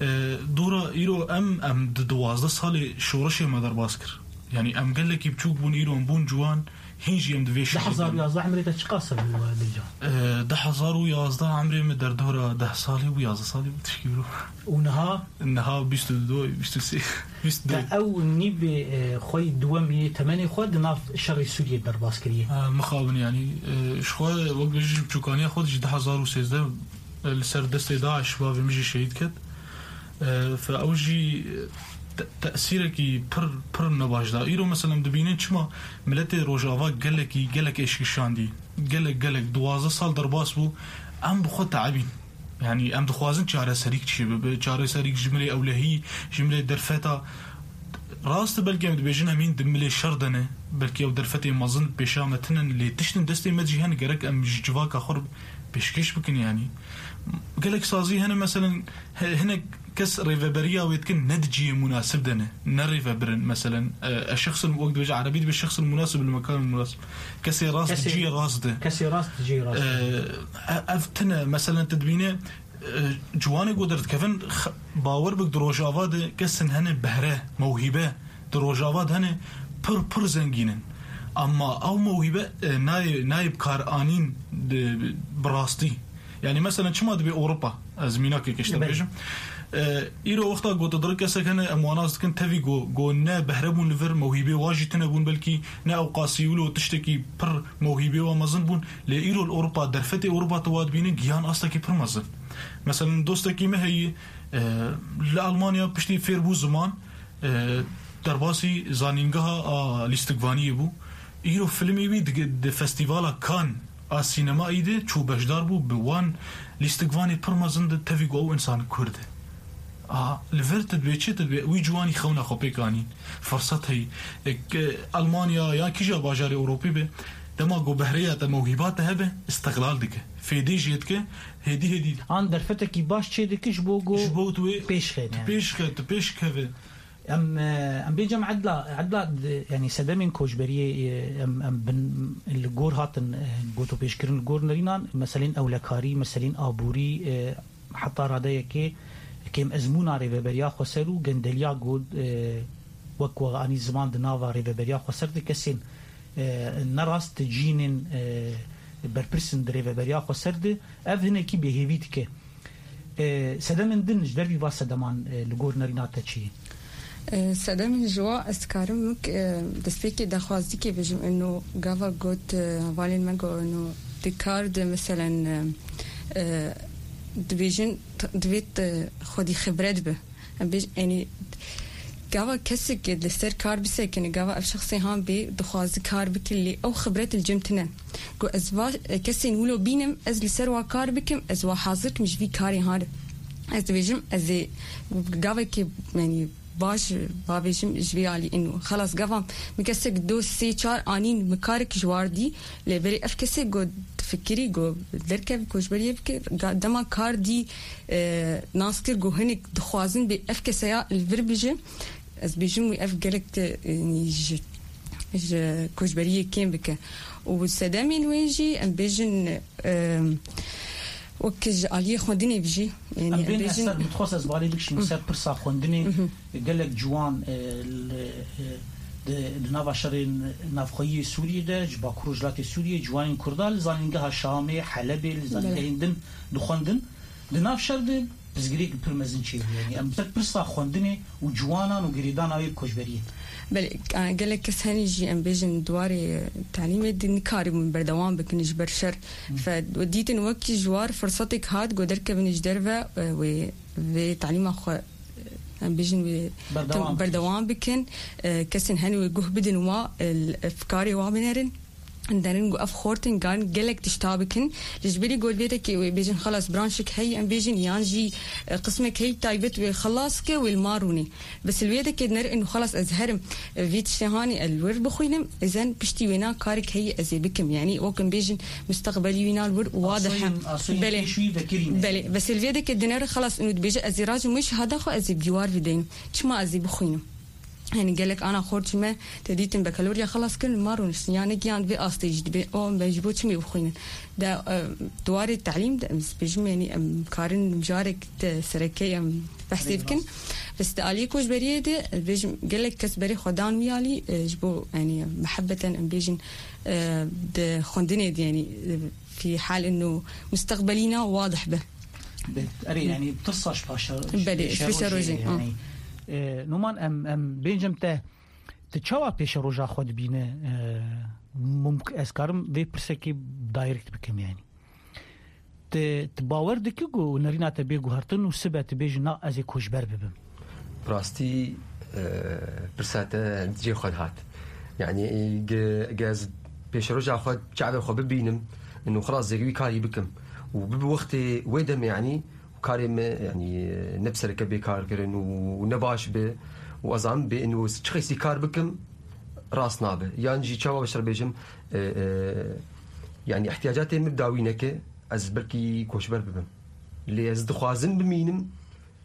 E, dora îro em, em di duwazdeh salê şoreşê me derbas kir. Yanî em gelekî biçûk bûn, îro em bûn ciwan, hîn jî em di vê şehîd hezar û yazdeh emrê te çiqas e bû, e, Dilcan? E, du hezar û yazdeh emrê min derdora deh salî bû, yazdeh salî bû, tişkî bû. Û niha? Niha bîst û du, bîst û sê, bîst û du. Te ew nîvê, e, xwe yî duwemî temenê xwe di nav şerê Sûriyê derbas kiriye. E, mixabin, yanî, e, ji xwe wek bêjî ji biçûkaniya xwe de jî du hezar û sêzdeh, e, li ser destê DAIŞ bavê min jî şehîd ket. E, fe ew jî te-, tesîrekî pir, pir nebaş da. Îro mesela em dibînin çima miletê Rojava gelekî, gelek êşkişandî. Gelek, gelek, duwazdeh sal derbas bû. Em bi xwe teebîn. Yanî em dixwazin çareserîk çi bibe. Çareserîk ji milê ewlehî, ji milê derfeta. Rast e, belkî em dibêjin em hîn di milê şer de ne. Belkî ew derfetê mezin pêşa me tinin, lê tiştin destê me jî hene, gerek em ji civaka xwe re pêşkêş bikin, yanî. Gelek sazî hene, meselen, he-, hinek kes rêveberiya wê dikin, ne di cihê munasib de ne, ne rêvebir in, meselen, e, ez şexsin, wek dibêje erebî dibê şexsin munasib li mekan munasib. Kesê rast di Kesê, cihê rast de. kesê rast di cihê rast E, de. e-, ev tine, meselen, tu dibîne, e, ciwanê ku derdikevin, x-, bawer bik di Rojava de kesin hene behre, mewhîbe, di Rojava de hene pir, pir zengîn in. Ama ew mewhîbe, e, nayê, nayê bi kar anîn di, bi rastî. Yanî mesela çima dibê Ewropa? Ez mînakê keşte Belê. bêjim. E, îro wexta ku tu dirik kesek hene, em wan nas dikin, tevî ku, ku ne behre bûn li vir, mewhîbê wa jî tune bûn belkî, ne ew qasî wilo tiştekî pir mewhîbê wa mezin bûn. Lê îro li Ewropa, derfetê Ewropa tu wa dibîne, gihan astekî pir mezin. Mesela dostekî me heyî, e, li Almanya piştî fêr bû ziman, e, derbasî zanîngeha a lîstikvaniyê bû. Îro filmê wî di, di festîvala Cannes a sînemayî de çû beşdar bû, bi wan lîstikvanê pir mezin de tevî ku ew însan Kurd e. A, li vir tu dibê çi, tu dibê wî ciwanî xewna xwe pêk anîn. Firsat heyî. E, ke Almanya yan kîja bajarê Ewropî be, dema ku behreya te, mewhîba te hebe, îstiqlal dike. Fêdê jê dike, hêdî hêdî. An derfetekî baş çê dike ji bo ku Ji bo tu wê pêş xêne. tu pêş xe-, tu pêş keve. Em, e, em bêjim edla, edla, e, yanî sedemên koçberiyê, e, em, em bin li gor hatin, e, gotopêşkirin li gor nerînan, meselên ewlekarî, meselên aborî, e, heta radeyekê kêm ezmûna rêveberiya xweser û gendeliya ku, e, wek we anî ziman di nava rêveberiya xweser de kesên, e, nerast cînên, e, berpirsên di rêveberiya xweser de ev hinekî bêhêvî dike. E, sedemên din ji dervî va sedeman, e, li gor nerîna te çi ye? E, sedemên ji wa ez dikarim wek, e, destpêkê daxwazîkê bêjim, ino gava got, e, hevalên me got, ino di kar de, meselen, e, e, dibêjin t-, divê t-, xwedî xibret be. Em bêj-, yanî, gava kesek li ser kar bisekine, gava ev şexsê han bê dixwazi kar bike, lê ew xibret li cem tine. Ku ez va, e, kesên wilo bînim, ez li ser wa kar bikim, ez wa hazir kim ji vî karê han re. Ez dibêjim, ez ê gavekê, yanî, baş, va bêjim, ji vê alî ino. Xelas, gava min kesek do sê çar anîn, min karek ji war dî, lê berê ev kesê got, fikirî got, derkev koçberiyê bike, ga-, dema kar dî, e, nas kir, got, hinek dixwazin bê ev keseya li vir bije. Ez bêjim wî ev gelek te, e, ji, ji koçberiyê kêm bike. Û sedemên wê jî, em bêjin, e, Wek ji aliyê xwendinê bijî, yanî Em em bên bêjin ser, min dixwest ez balê bikişîm ser pirsa xwendinê. Gelek ciwan, e, li, e, di, di nava şerên navxweyî yê Sûriyê de, ji Bakur û Rojhilatê Sûriyê, ciwanên Kurda li zanîngeha Şamê, Helebê, li zanîngehên din dixwendin. Di nav şer de pirsgirêk pir mezin çêbû. Yanî em ser pirsa xwendinê û ciwanan û girêdana wê koçberiyê. Belê, e, gelek kes henî jî em bêjin di warê talîmê de nikaribûn berdewam bikin ji ber şer. Fe, dîtin wekî ji war firsetek hat ku derkevin ji derve, e, wê, vê talîma xwe, e, em bêjin wê Berdewam tim-, bikin. berdewam bikin. E, kesên henî wê guh bidin wa, e, l-, e, fikarê wa binerin. Derin ku ev xortin gan gelek tişta bikin. Li ji berî got vê dekê wê bêjin xelas branşek heyî em bêjin yan jî, e, qismek heyî taybet wê xelas ke wê li ma rûnê. Bes li wê dekê dinerin û xelas ez herim, e, vî tiştê hanî ez li wir bixwînim, ezen piştî wêna karek heyî ez ê bikim. Yanî wek em bêjin mustaqbelî wîna li wir wadih e. Asoyên, asoyên Belê. pêşwî vekirî ne. Belê. Bes li vê dekê dinere xelas û dibêje ez ê racim wê şehada xwe ez ê bi dîwar bideynim. Çima ez ê bixwînim? Yanî gelek ana xort ji me te dîtin bekaloriya xelas kirin, ma rûniştin. Ya negiyan vê astê jî dibê, o, em ji bo çi mê bixwînin? De, e, di warê telîm de, em bêjim, yanî em karin mijarek te sereke em behsê bikin. Bes di aliyê koçberiyê de, e, bêjim, gelek kes berê xwe dan wî alî, e, ji bo, yanî, mehebeten em bêjin, e, di xwendinê de, yanî, e, fî hal ino mustaqbelîna wadih be. Be, erê, yanî, tirsa ji paşe-, Belê, ji pêşerojê, pêşerojê, ha. yanî. E, Numan, em, em bêncim te, tu çawa pêşeroja xwe dibîne, e, mumk-, ez karim vê pirsekê direct bikim, yanî. Tu, tu bawer dikî ku nerîna te bê guhertin û sibe tu bêjî, na, ez ê koçber bibim? Bi rastî, e, pirsa te di cihê xwe de hat. Yanî, ge-, ge ez pêşeroja xwe çavê xwe bibînim, û xelas zêgî wî karî bikim. Û bibi wextê wê demê, yanî, karê me, yanî, ne bi sereke bê kar kirin û ne baş bi. Û ez zanim bê, û çi qeysî kar bikim, rast nabe. Yan jî çawa beşer bêjim, e, e, yanî, ihtiyacatê min dawî neke, ez belkî koçber bibim. Lê ez dixwazim bimînim,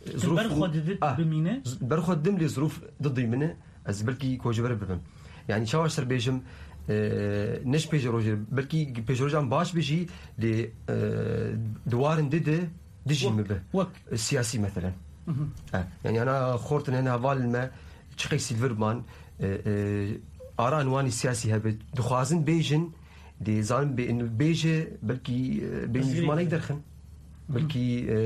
Tu zirûf ber xwe didit Ah, bimîne? z-, ber xwe didim lê zirûf didî min e, ez belkî koçber bibim. Yanî çawa ser bêjim, e, ne ji pêşerojê, belkî pêşerojan baş bijî, lê, e, di warin di de dijî Wek, min bi. wek. E, siyasî meselen. Mhm. E, yanî ana xortin hene hevalin me, çi qeysî li vir man, e, e, ara wan siyasî hebe, dixwazin bêjin, dê zanin bê-, bêje, belkî, e, bêjin Zirê. ji manayî derxin. Belkî, e,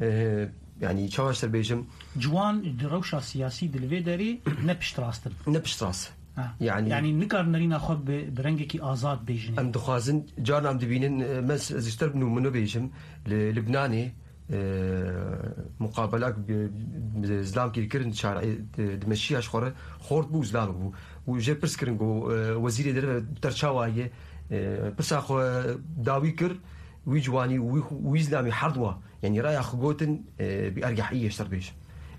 e, yanî çawa ser bêjim? Ciwan di rewşa siyasî di li vê derê ne piştrast in. Ne piştrast. Ha. Yanî Yanî nikar nerîna xwe bi, bi rengekî azad bêjin. Em dixwazin, carna em dibînin, e, me s-, ez ji te nimûne bêjim, li Libnanê, e, muqabelak bi, bi zilamkî dikirin, çar-, e, di meşiya ji xwe re xort bû, zilamek bû. Û jê pirs kirin ku, e, wezîrê derve bi te re çawa ye, e, pirsa xwe dawî kir, wî ciwanî û wî, wî zilamî herd wa. Yanî raya xwe gotin, e, bi ergehiyê ji te re bêjim.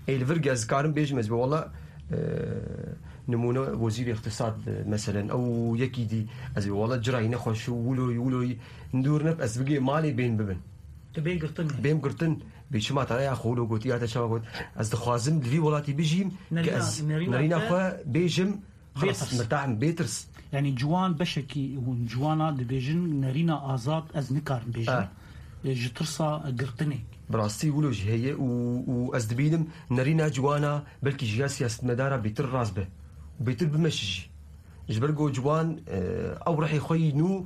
Ê li vir ge ez karim bêjim, ez bi wela, e, nimûne wezîrê îqtisad, e, meselen, ew yekî dî, ez bi wela cirayî nexweş û wilo, wilo, dûr ne, ez bigê malê bên bibin. Tu bê girtin. Bêm girtin, bê çima te raya xwe wilo got, ya te çawa got? Ez dixwazim li vî welatî bijîm, Nerîna, ke ez nerîna nerîna te xwe bêjim, xelas, Bêtirs. mirtahim, bêtirs. Yanî ciwan beşekî hûn ciwana dibêjin, nerîna azad ez nikarim bêjim. Ha. E, ji tirsa girtinê. Bi rastî wilo jî heye û, û ez dibînim nerîna ciwana belkî ji ya siyasetmedara bêtir rast be. Û bêtir bimeşe jî. Ji ber ku ciwan, e, ew rihê xwe yî nû,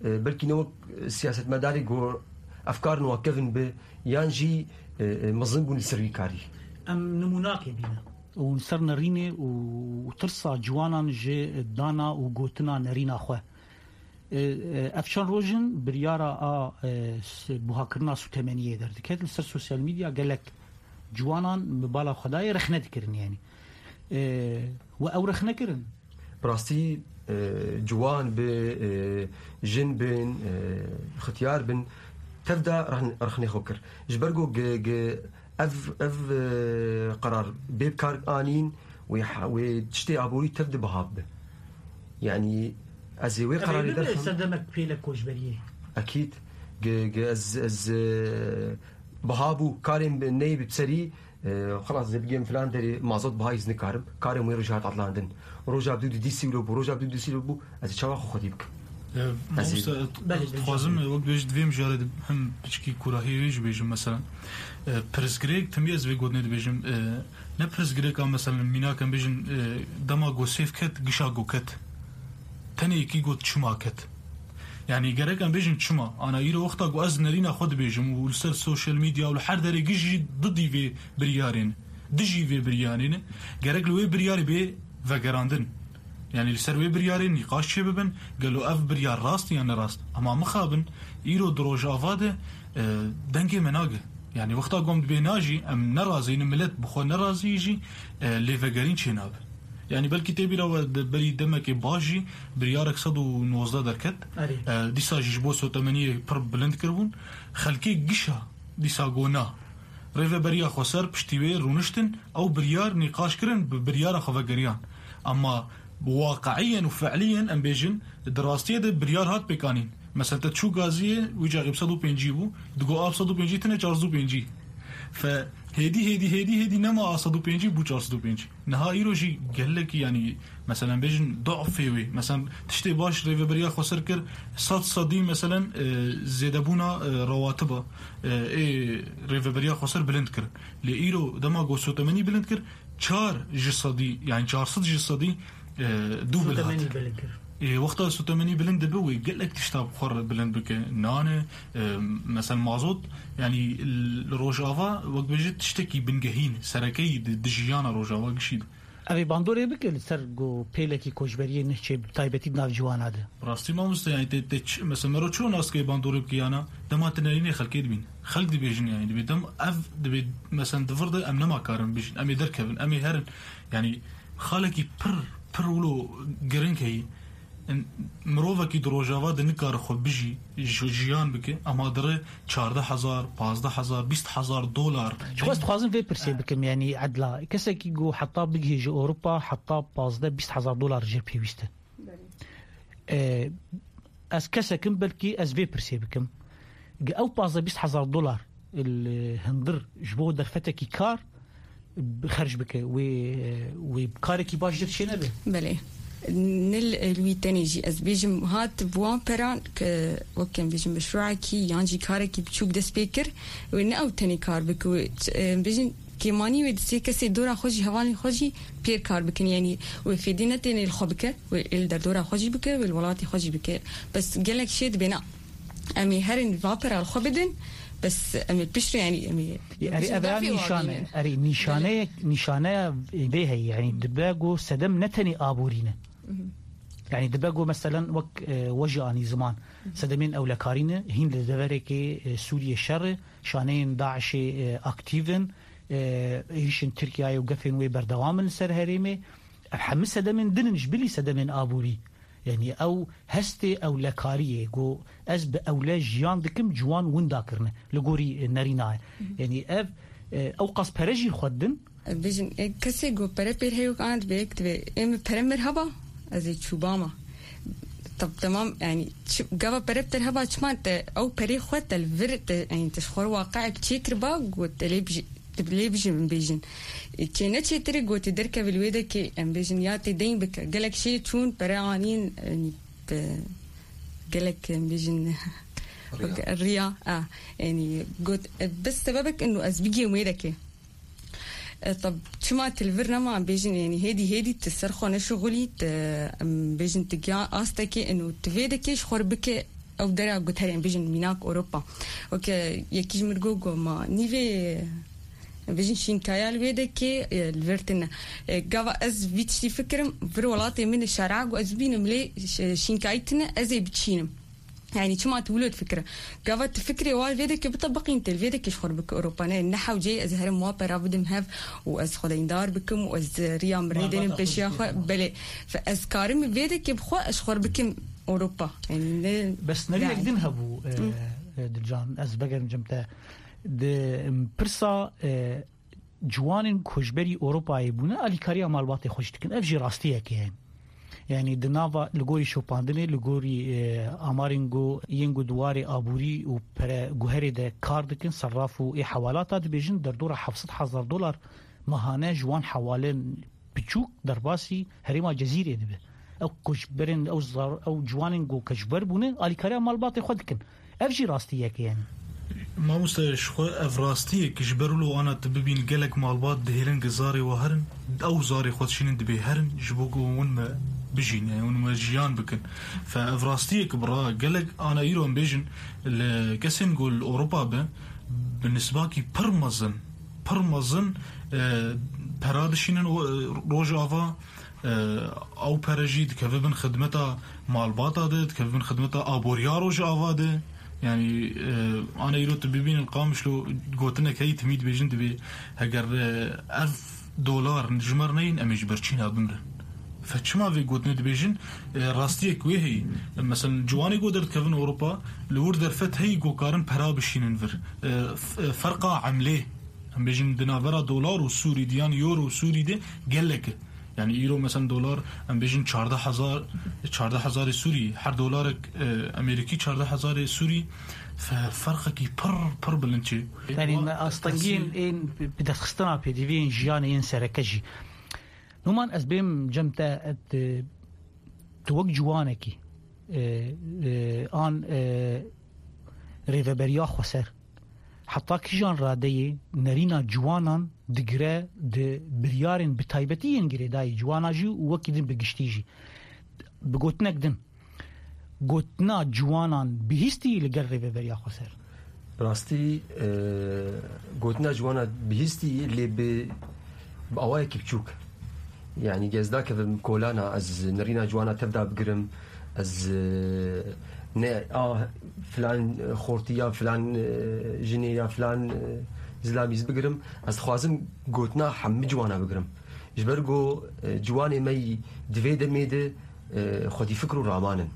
e, belkî ne wek siyasetmedarê ku efkarên wan kevin bi, yan jî, e, e, mezin bûn li ser wî karî. Em nimûnakê bîne. Û li ser nerînê û, û tirsa ciwanan ji dana û gotina nerîna xwe. E, e, ev çend roj in biryara a, e, s-, buhakirina sûtemeniyê derdikeve. Li ser sosyal medya gelek ciwanan bi bala xwe dayê rexne dikirin, yanî. E, we ew rexne kirin? Bi rastî, e, ciwan bi, e, jin bin, e, xityar bin, tev de rexn-, rexnê xwe kir. Ji ber ku ge-, ge-, ev, ev, e, qerar bê bi kar anîn, wê ha-, wê tiştê aborî tev de biha bibe. Yanî ez ê wê Ev ê qerarê bibe derxim. Serdemek pêle koçberiyê. Ekîd. Ge-, ge-, ez, ez, e, biha bû karên bi, neyê bi serî, e, xelas, ez ê bigêm filan derê mazot bihayî, ez nikarim. Karên wê roj hat etlandin. Roja bi dû di dî sî wilo bû, roja bi dû di dî sî wilo bû, ez ê çawa xwe xwedî bikim? Mamoste, dixwazim wek bêjî di vê mijarê de hem piçkî kûrahiyê wê jî bêjim, mesela. E, pirsgirêk, timî ez vê gotinê dibêjim. E, ne pirsgirêka, mesela, mînak em bêjin, e, dema go sêv ket, gişa go ket. Tenê yekî got çima ket. Yani gerek em bêjin çima. Ana îro wexta ku ez nerîna xwe dibêjim û li ser social media û li her derê gişt jî didî vê biryarên, dijî vê biryarên, gerek li wê biryarê bê vegerandin. Yani li ser wê biryarê nîqaş çêbibin, gelo ev biryar rast ya ne rast. Ama mixabin, îro di Rojava de, e, dengê me nage. Yani wexta ku em dibê na jî, em nerazî ne, milet bi xwe nerazî jî, e, lêvegerîn çênabe. Yani belkî tê bîra we di berî demekê baş jî biryarek sed û nozdeh derket. Erê. E, dîsa jî ji bo sotemeniyê pir bilind kiribûn. Xelkê gişa dîsa gona. Rêveberiya Xweser piştî wê rûniştin, ew biryar nîqaş kirin, bi biryara xwe vegeriyan. Ama waqiyen û fiiliyen em bêjin, di rastiyê de biryar hat pêkanîn. Mesela te çû Gaziyê, wî caxê bi sed û pêncî bû, digo a bi sed û pêncî tine çar sed û pêncî. Fe hêdî, hêdî, hêdî, hêdî nema a sed û pêncî bû çar sed û pêncî. Niha îro jî gelekî, yanî, meselen, bêjin du'fê wê. Meselen, tiştê baş Rêveberiya Xweser kir, sed sedî, meselen, e, zêdebûna, e, rewatiba, e, ê Rêveberiya Xweser bilind kir. Lê îro dema ku sotemenî bilind kir, çar ji sedî, yani çar sed ji sedî, e, dû bil hat. Sotemenî bilind kir. Ê, wexta sotemenî bilind dibe, wê gelek tişta bi xwe re bilind bike. Nane, e, mesel mazot, yani li Rojava, wek bêjî, tiştekî bingehîn, serekeyî di, di jiyana Rojava gişî de. Ev ê bandorê bike li ser ku pêlekî koçberiyê Nehçê, bi taybetî di nav ciwana de. Rastî mamoste, yani tê, tê ç-, mesela mero çi nas dike bandorê bike yana, dema tu nerînê xelkê dibîn. Xelk dibêjin yani, dibê dem ev dibê, mesela di vir de em nema karin bijîn, em ê derkevin, em ê herin. Yani xalekî pir, pir wilo giring heyî. In-, mirovekî di Rojava de nikare xwe bijî, ji-, jiyan bike, ama dire çardeh hezar, pazdeh hezar, bîst hezar dolar. Ji xwe ez dixwazim vê pirsê bikim, yani edla. Kesekî ku heta bigihêje Ewropa, heta pazdeh bîst hezar dolar jê pêwîst e. Belê. E, ez kesekim, belkî ez vê pirsê bikim. Ge ew pazdeh bîst hezar dolar li hundir ji bo derfetekî kar bi xerc bike, wê, wê karekî baş jê çênebe. Belê. Nil, e, li wî tenê jî ez bêjim, hat bi wan peran ke, wek em bêjin, meşruekî yan jî karekî biçûk dest pê kir, wê ne ew tenê kar bike, wê, e, em bêjin, kêmanî wê di sê kesê dora xwe jî, hevalên xwe jî pêr kar bikin. Yanî wê fêdî ne tenê li xwe bike, wê ê li derdora xwe jî bike, wê li welatê xwe jî bike. Bes gelek şê dibêne. Em ê herin va pera li xwe bidin, bes em ê piştre, yanî em ê Erê, ev ya nîşane, erê, nîşaneyek, nîşaneya vê heye, yanî dibe ku sedem ne tenê aborî ne. Mhm. Yanî dibe ku meselen wek, e, we jî anî ziman. Mhm. Sedemên ewlekarî ne, hîn li deverekê, e, Sûriyê şer e, şaneyên DAIŞê, e, aktîv in, e, êrîşên Tirkiyeyê û gefên wê berdewam in li ser herêmê. Ev hemû sedemên din in ji bilî sedemên aborî. Yanî ew hestê ewlekariyê, got, ez bi ewle jiyan dikim, ciwan winda kirine. Li gorî, e, nerîna ye. Mhm. Yanî ev, e, ew qas pere jî xwe didin. Bêjin, e, kesê got pere pêr heye, an divê, divê, ê min pere mir heba, ez ê çûbama. Tab-, temam, yanî, çi, gava pere pir heba, çima te ew perê xwe te li vir, te, yanî, te ji xwe re waqiek çêkiriba, got, te lê bijî-, Lê bijî min bêjin. Çê neçêtirê gotî derkeve li wê dekê, em bêjin, ya tê deyn bike. Gelek şê çûn, pere anîn, yanî, bi gelek, em bêjin, riya. Riya, a, yanî, got, e, bes sebebek ino ez bigihêm wê dekê. E, tab, çima tu li vir nema, em bêjin, yanî, hêdî, hêdî tu ser xwe neşixulî, tu, em bêjin, tu giya astekê ino tu vê dekê ji xwe re bike, ew dera guherê, em bêjin, mînak Ewropa. Weke yekî ji min got, got, ma nîvê, em bêjin, şînkaya li wê dekê, e, li vir tine. E, gava ez vî tiştî fikirim, vir welatê min e şer'a, got, ez bînim lê ş-, şînkayî tine, ez ê biçînim. Yanî çima tu wilo difikire? Gava tu fikrê wa li vê dekê bitebiqîn, tê li vê dekê ji xwe re bike Ewropa. Ne, ne hewceyê ez herim wa pera bidim hev û ez xwedeyndar bikim û ez riya min rê dênim pêşiya xwe. Belê. Fe ez karim vê dekê bi xwe ez ji xwe re bikim Ewropa. Yanî ne. Bes nerînek din hebû, e, e, Dilcan, ez vegerim cem te. Di, em, pirsa, e, ciwanên koçberî Ewropayê bûne, alîkariya malbatê xwe jî dikin. Ev jî rastiyek e. Yanî di nava, li gorî şopandinê, li gorî, e, amarên ku yên ku di warê aborî û pere guherê de kar dikin, serraf û ê hewalata dibêjin, derdora heft sed hezar dolar mehane ji wan hewalên biçûk derbasî herêma Cezîrê dibe. Ew koçberên, ew zar, ew ciwanên ku koçber bûne, alîkariya malbatê xwe dikin. Ev jî rastiyek e, yani. Mamoste, ji xwe ev rastiyek ji ber wilo ana tu bibîn gelek malbat dihêlin ku zarê we herin, ew zarê xwe dişînin dibê herin, ji bo ku hûn me bijîn, yani hûn me jiyan bikin. Fe ev rastiyek bi ra gelek ana îro em bêjin li kesên ku li Ewropa be, bi nisbakî pir mezin, pir mezin, e, pera dişînin o, e, Rojava, e, ew pere jî dikeve bin xidmeta malbata de, dikeve bin xidmeta aboriya Rojava de. Yani, e, ana îro tu bibînin Qamişlo gotinek heyî timî dibêjin dibê heger, e, ev dolar ji me re neyên em ê ji ber çîna bimrin. Fe çima vê gotinê dibêjin? E, rastiyek wê heyî. Mesela ciwanê ku derdikevin Ewropa, li wir derfet heyî ku karin pera bişînin vir. E, f-, e, ferqa emlê, em bêjin di navbera dolar û sûrî de, yan euro û sûrî de gelek e. Yani îro mesela dolar, em bêjin çardeh hezar, çardeh hezarê sûrî, her dolarek, e, Amerîkî çardeh hezarê sûrî, fe-, ferqekî pir, pir bilind çê. Yani Wa-, astengiyên tesî- ên bi, bi destxistina pêdiviyên jiyanê yên sereke jî. Numan ez bêm cem te, et, e, tu wek ciwanekî, e, e, an, e, rêveberiya xweser, heta kîjan radeyê nerîna ciwanan digire di biryarên bi taybetî yên girêdayî ciwana jî û wekî din bi giştî jî? Bi gotinek din, gotina ciwanan bihîstî li gel rêveberiya xweser? Bi rastî, e, gotina ciwana bihîstî lê bi, bi awayekî biçûk. Yani, ez nakevim kolana, ez nerîna ciwana tevda bigirim, ez, e, ne, a, filan, e, xortî ya filan, e, jinê ya filan, e, zilamî ez bigirim, ez dixwazim gotina hemî ciwana bigirim. Ji ber ku, e, ciwanê me yî di vê demê de, e, xwedî fikr û raman in.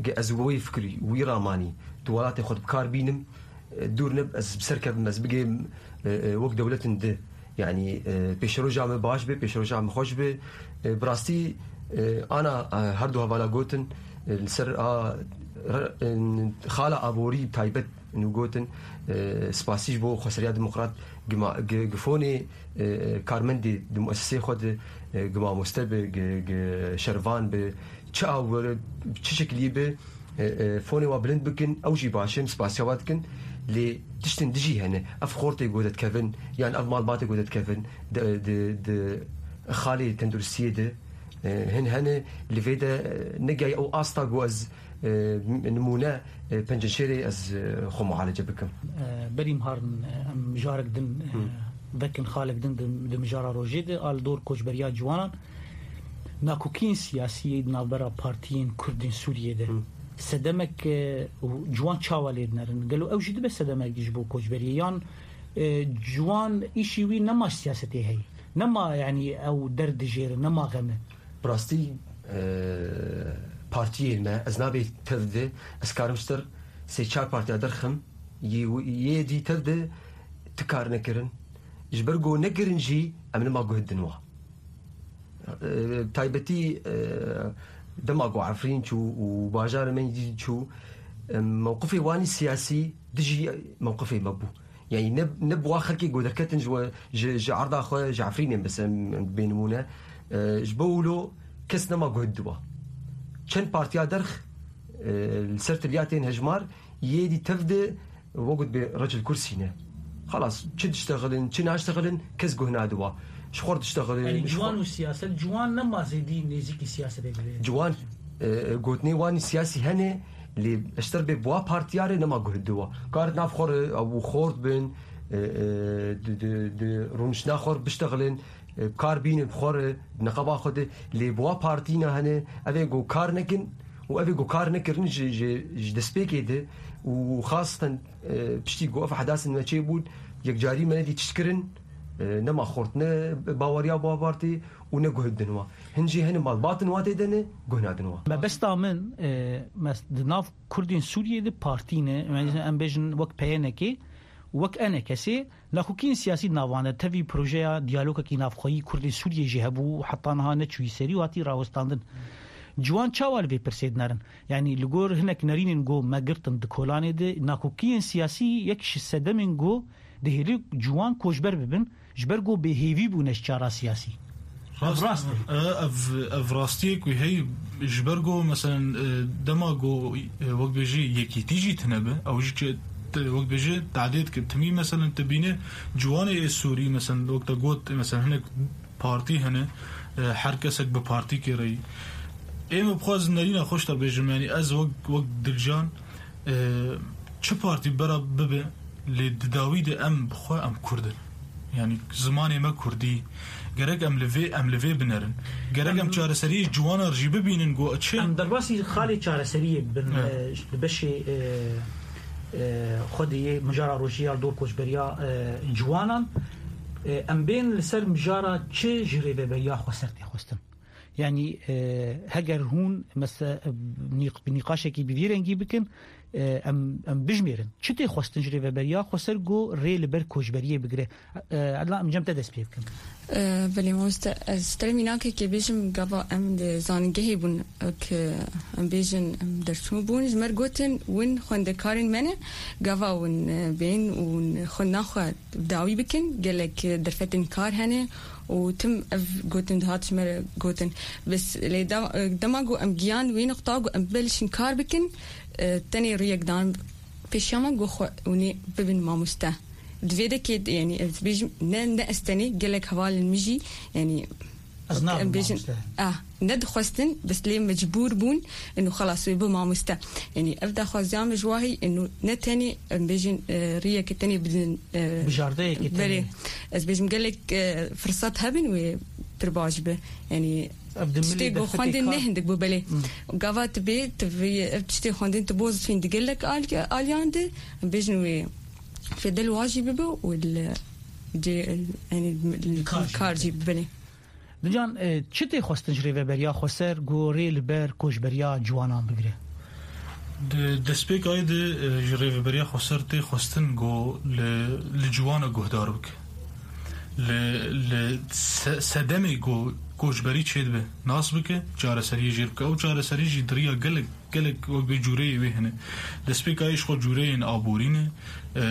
Ge ez wî fikrî, wî ramanî di welatê xwe de bi kar bînim, e, dûr nib, ez bi ser kevim, ez bigêm, e, e, wek dewletin di. Yani, e, pêşeroja me baş be, pêşeroja me xweş be. E, bi rastî, e, ana, e, her du hevala gotin, e, li ser a, re-, e, xala aborî taybet nû gotin, e, spasî ji bo Xweseriya Demokrat, gima-, gi-, gifonê, e, karmendê di muesesê xwe de, e, gi mamoste be, gi, gi şervan be, çi awir, çi şeklî be, e, e, fonê wa bilind bikin, ew jî baş in, spasiya wa dikin. Lê tiştin dijî hene. Ev xortê ku derdikevin, yan ev malbatê ku derdikevin, di, di, di xalê tenduristiyê de, e, hin hene, li vê de, e, negihayî ew asta ku ez, e, nimûne, e, penceşêrê ez, e, xwe mualece bikim. E, berî mijarin, e, em mijarek din, e, Hı. vekin xalek din di, di mijara rojê de, a li dor koçberiya ciwanan, nakokiyên siyasî yê di navbera partiyên Kurd ên Sûriyê de. Hı. Sedemek, e, ciwan çawa lê dinerin? Gelo ew jî dibe sedemek ji bo koçberiyê? Yan, e, ciwan îşî wî nema siyasetê heye? Nema, yanî ew derd dijêre, nema xem e? Bi rastî, e, partiyên me, ez nabê tev de, ez karim ji ter sê çar partiya derxim, yê, yê dî tev de ti kar nekirin. Ji ber ku nekirin jî, em nima guh din wa. E, taybetî, e, dema ku Efrîn çû û bajarê me dî çû, e, mewqifê wanî siyasî dijî mewqifê me bû. Yani ne, ne bi wa xelkê ku derketin ji we, ji, ji erda xwe, ji Efrînê mesela, em bê nimûne, e, ji bo wilo kes nema guh diwa. Çend partiya derx, e, li ser tiliya tên hejmar, yê dî tev de, wekut bê recil kursî ne. Xelas, çi diştexilin, çi naştexilin, kes guh nadiwa. Ji xwe diştexilin, Yani ji ciwan xwe û siyaset, ciwan nema zêdî nêzîkî siyasetê dibe. Ciwan, e, gotinê wan siyasî hene, lê eşter bê buwa partiyarê nema guh diwa. Karit nav xwe re, ew xort bin, e, e, di, di, di rûniştina xwe re biştexilin, e, bi kar bînin bi xwe re, di neqeba xwe de, lê buwa partîna hene, ev ê ku kar nekin û ev ê ku kar nekirin ji, ji, ji destpêkê de û xasten, e, piştî ku ev ehdasin me çêbûn, yekcarî me nedî tişt kirin, e, nema xort, ne baweriya buwa partî û ne guh din wa. Hin jî hene malbatin wa tê de ne, guh nadin wa. Mebesta min, e, mes-, di nav Kurdên Sûriyê de partî ne, em bêjin wek P Y N K, wek E N K S, nakokiyên siyasî di navan de, tevî projeya diyalogekî navxweyî Kurdên Sûriyê jî hebû û heta niha neçûyî serî û hatî rawestandin. Ciwan çawa li vê pirsê dinerin? Yanî li gor hinek nerînên ku me girtin di kolanê de, nakokiyên siyasî yek ji sedemên ku dihêlî ciwan koçber bibin, ji ber ku bêhêvî bûne ji çara siyasî. Rast, rast e. E, ev, ev rastiyek wî heyî ji ber ku, meselen, e, dema ku, e, wek bêjî yekîtî jî tune be, ew jî ke-, te-, wek bêjî tadê dike. Timî, meselen, tu bîne ciwanê ê Sûrî, meselen, wek te got, meselen, hinek partî hene, e, her kesek bi partîkê re yî. Ê min bixwaz nerîna xweş te bêjim, yanî ez wek, wek Dilcan, e, çi partî bera bibe, lê di dawî de em bi xwe em Kurd in. Yanî zimanê me Kurdî. Gerek em li vê, em li vê binerin. Gerek em Em çareseriyê ciwanan jî bibînin ku çi? Em derbasî xalê çareseriyê bin, Evet. e, di beşê, e, e, xwedê yê mijara rojî ya li dor koçberiya, e, ciwanan, e, em bên li ser mijara çi ji rêveberiya xweser tê xwestin? Yanî, e, heger hûn mese-, nîq-, nîqaşekî bi vî rengî bikin, e, em, em bijmêrin. Çi tê xwestin ji rêveberiya xweser ku rê li ber koçberiyê bigire? E, Edla, em cem te dest pê bikin. E, belê mamoste, ez ji te re mînakekê bêjim, gava em di zanîngehê bûn, wek em bêjin, em derçûn bûn, ji me re gotin, win xwendekarên me ne, gava win, e, bên û xwe naxwe bi dawî bikin, gelek, e, derfetên kar hene û tim ev gotin dihat ji me re gotin. Bes lê da-, e, dema ku em giyan wê nuqta ku em belişin kar bikin, e, tenê rûyek dan pêşiya me ku xwe hûnê bibin mamoste. Di vê dekê, yanî, ez bêjim, ne, ne ez tenê, gelek hevalên min jî, yanî, Ez nabim em bêjin, mamoste. Ah, ne dixwestin, bes lê mecbûr bûn, inu xelas wê bi mamoste. Yanî, ev daxwaziya min ji wahî, inu ne tenê, em bêjin, e, riyeke tenê bidin, e, Bijardeyeke belê. Tenê. Ez bêjim, gelek, e, firsat hebin wê pir baş bi. Yanî, Ev di milê tiştê de go xwendin ne hindik bû, belê. Hmm. Gava tu bê, tu vê, ev tiştê xwendin tu boz fîn di gelek al-, aliyan de, em bêjin wê fedel wa jî bibe û li cê, yanî, li kar jî bibe. Dican, e, çi tê xwestin ji rêveberiya xweser ku rê li ber koçberiya ciwanan bigire? Di destpêkayê de, e, ji rêveberiya xweser tê xwestin ku li, li ciwana guhdar bike. Li, li se-, sedemê ku koçberî çêdibe nas bike, çareseriyê jê bike. Ew çareserî jî di riya gelek Gelek wek vê cûreyê wê hene. Destpêka yê ji xwe cûreyên aborî ne, e,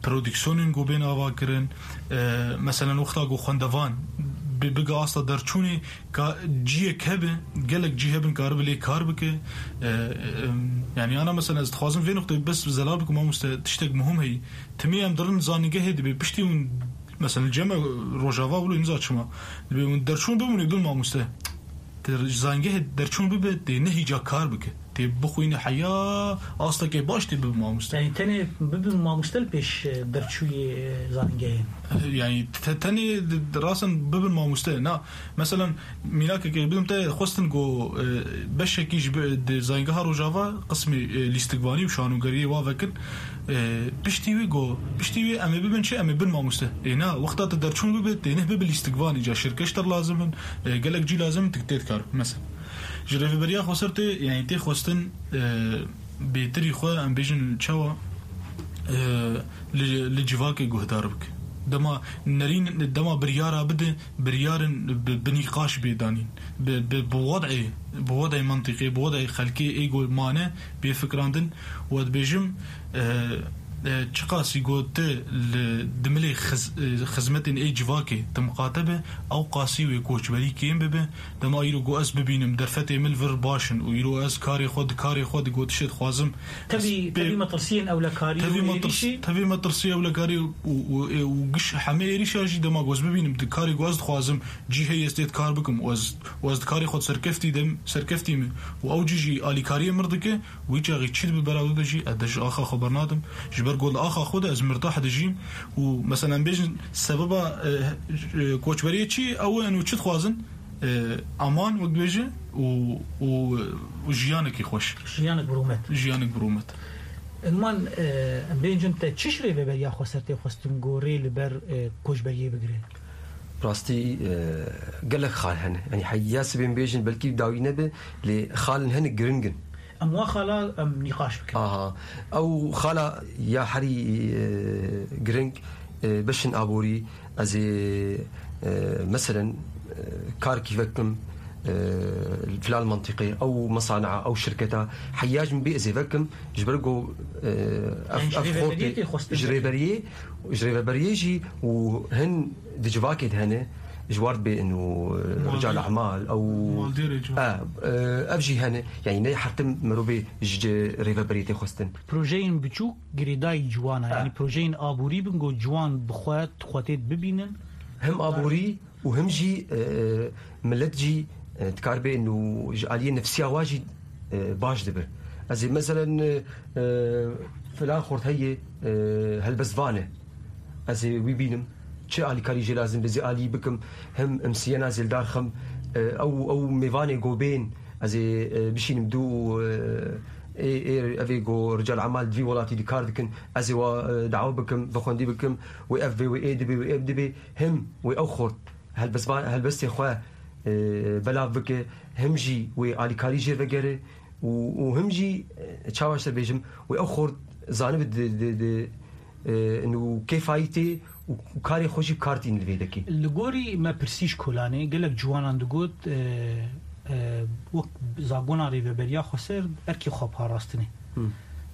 prodîksiyonên ku bên ava kirin, e, meselen wexta ku xwendevan bi, bige asta derçûnê ka ciyek hebe, gelek cî hebin karibe lê kar bike. E, e, em, yanî ana meselen ez dixwazim vê nuqteyê bes zelal bikim mamoste, tiştek muhim heyî. Timî em dirin zanîngehê dibe piştî hûn, meselen cem e Rojava wilo niza çima. Dibe hûn derçûn bibûnê bin mamoste. Te ji zanîngehê derçûn bibe, tê ne hîca kar bike. Tê bixwîne heya astekê baş tê bibe mamoste. Yanî tenê bibin mamoste li pêş, e, derçûyê, e, zanîngehê? E, yanî te-, tenê di, di rasen bibin mamoste. Na, meselen, mînakekê bidim te xwestin ku, e, beşekî ji bi-, di zanîngeha Rojava qismê, e, lîstikvanî û şanogeriyê wa vekin. E, piştî wî got, piştî wî em ê bibin çi? Em ê bin mamoste. Ê na, wexta tu derçûn bibe, tê neh bibe lîstikvan, îca şirkeşter lazim in, e, gelek cî lazim in, tu tê dikar. Mesela. Ji rêveberiya xweser tê, yanî tê xwestin, e, bêtirî xwe, em bêjin çawa, e, li, li civakê guhdar bike. Dema nerîn, dema biryara bide, biryarên bi, bi nîqaş bê danîn. Bi, bi, bi wed'ê, bi wed'ê mentiqê, bi wed'ê xelkê ê ku mane bê fikrandin. Û ez dibêjim, e, e, çiqasî ku tu li dimilê xiz-, e, xizmetên ê civakê tu miqate be, ew qasî wê koçberî kêm bibe. Dema îro ku ez bibînim derfetê min li vir baş in û îro ez karê xwe di karê xwe di gotişê dixwazim. Tevî, tevî metirsiyên ewlekarî û êrîşî. Tevî metirsiyê ewlekarî û, û, û giş hemê êrîşa jî dema ku ez bibînim di karê ku ez dixwazim cî heye ez tê dikar bikim û ez, û ez di karê xwe serkeftî de, serkeftî me û ew cî jî alîkariyê mir dike, wî çaxî çi dibe bera bibe jî ez de ji axa xwe bernadim. Ji ber ku li axa xwe de ez mirtah dijîm û meselen bêjin sebeba, e, e, koçberiyê çi ye? Ew in û çi dixwazin? E, aman wek dibêje û, û, û jiyanekî xweş. Jiyanek bi rûmet. Jiyanek bi rûmet. Ilman, e, em bêncin te çi ji rêveberiya xweser tê xwestin ku rê li ber, e, koçberiyê bigire? Rastî, e, gelek xal hene. Yanî heya sibê em bêjin belkî dawî nebe, lê xalên hene giring in. Em wa xala em nîqaş bikin. Aha. Ew xala ya herî, e, giring, e, beşên aborî, ez ê, e, meselen, e, karkî vekim, e, filan mentiqê, ew mesanea, ew şirketa, heya ji min bê ez ê vekim, ji ber ku, e, ev, Yanî ji ev rêveberiyê xortê, tê xwestin ji vekim. Rêberiyê, ji rêveberiyê jî û hin di civakê de hene, ji war dibe inu, e, rical emal, ew, e, e, ev jî hene. Yanî ne her tim mirovê ji rêveberiyê tê xwestin. Projeyên biçûk girêdayî ciwan e. Yanî projeyên aborî bin ku ciwan bi xwe, xwe tê bibînin. Him aborî û him jî, e, milet jî, e, dikaribe inu ji aliyê nefsiya wa jî, e, baş dibe. Ez ê meselen, e, e, filan xort heye, e, helbestvan e. Ez ê wî bînim. Çi alîkarî jê lazim be, ez ê alî bikim. Him imsiyena zêldar xim, e, ew, ew mêvanê go bên, ez ê, e, bişînim dû, e, ê, ê, ev ê go rical emal di vî welatî di kar dikin, ez ê wa, e, dawa bikim, vexwendî bikim, wê ev bê, wê ê dibê, wê ev dibê. Him wê ew xort helbestvan-, helbestê xwe, e, belav bike, him jî wê alîkarî jê vegere û, û him jî, e, çawa ji te bêjim, wê ew xort zanibe di, di, di, e, û kêfayî tê û, û karê xwe jî bi kar tînin li vê dekê. Li gorî me pirsî ji kolanê, gelek ciwanan digot, e, e, wek zagona rêveberiya xweser erkê xwe parastinê. Hmm.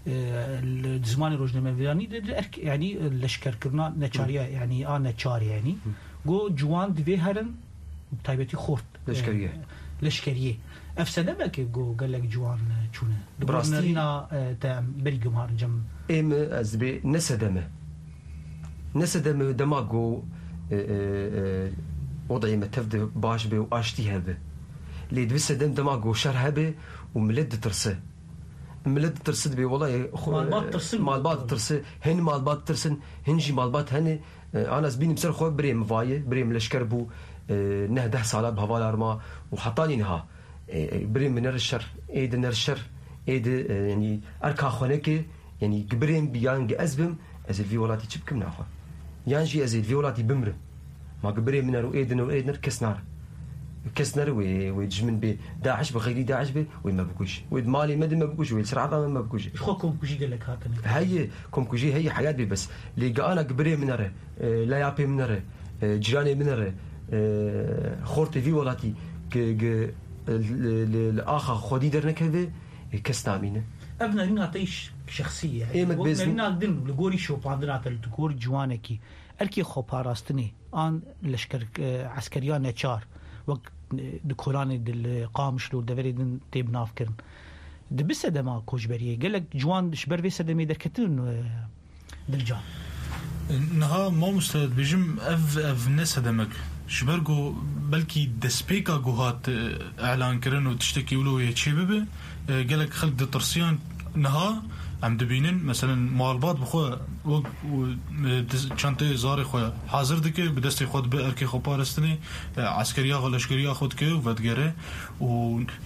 E, li, di zimanê rojnamevanî de, de erk, yanî, e, leşkerkirina neçariya, yanî a neçar, yanî. Hmm. Go ciwan divê herin, bi taybetî xort, e, leşkeriyê. Leşkeriyê. Ev sedemeke go gelek ciwan, e, çûne. Di gor nerîna, e, te em berî gumarin cem. Ê min ez dibê ne sedeme. Ne sedeme dema go, e, e, e, wodayê me tev de baş be û aştî hebe. Lê dibi sedem dema go şer hebe û milet ditirse. Milet ditirse dibê, wela, e, xwe, malbat tirsin, malbat ditirse, hin malbat tirsin, hin jî malbat hene. E, ana ez bînim ser xwe, birê min vaye, birê min leşker bû, e, neh deh sala bi hevalar ma û hetanî niha, e, e, birê min nere şer, ê di nere şer, ê di, e, yanî erka xwe neke, yanî gi birê min bi yan gi ez bim, ez ê li vî welatî çi bikim naxwe? Yan jî ez ê li vî welatî bimrim. Ma gi birê min nere û ê din û ê din kes nare. Kes nere wê, wê dijmin bê, DAIŞ bi, xeyrî DAIŞ bê, wê me bikuje. Wê di malê me de me bikuje, wê li ser erda me me bikuje. Ji xwe komkujî gelek hatine. Heye, komkujî heye, heyat bê bes. Lê gi ana gi birê min nere, e, layapê min nere, e, cîranê min nere, e, xortê vî welatî gi, gi, e, li, li, li axa xwedî dernekeve, e, kes namîne. Ev nerîna te ş-, şexsî ye. Ê me Wek dibêzin- nerîna din li gorî şopandina te li tu gor ciwanekî erkê xweparastinê an leşker, e, eskeriya neçar, wek, e, di kolanê di li Qamişlo deverê din tê binavkirin. Dibi sedema koçberiyê, gelek ciwan ji ber vê sedemê derketin, e, Dilcan. Niha mamoste dibêjim ev, ev ne sedemek. Ji ber ku belkî destpêka ku hat, e, elankirin û tiştekî wilo yê çêbibe, e, gelek xelk ditirsiyan. Niha em dibînin, meselen, malbat bi xwe wek, e, diz-, çanteyê zarê xwe hazir dike, bi destê xwe dibe erkê xwe parastinê, e, eskeriya xwe, leşkeriya xwe dike û vedigere. Û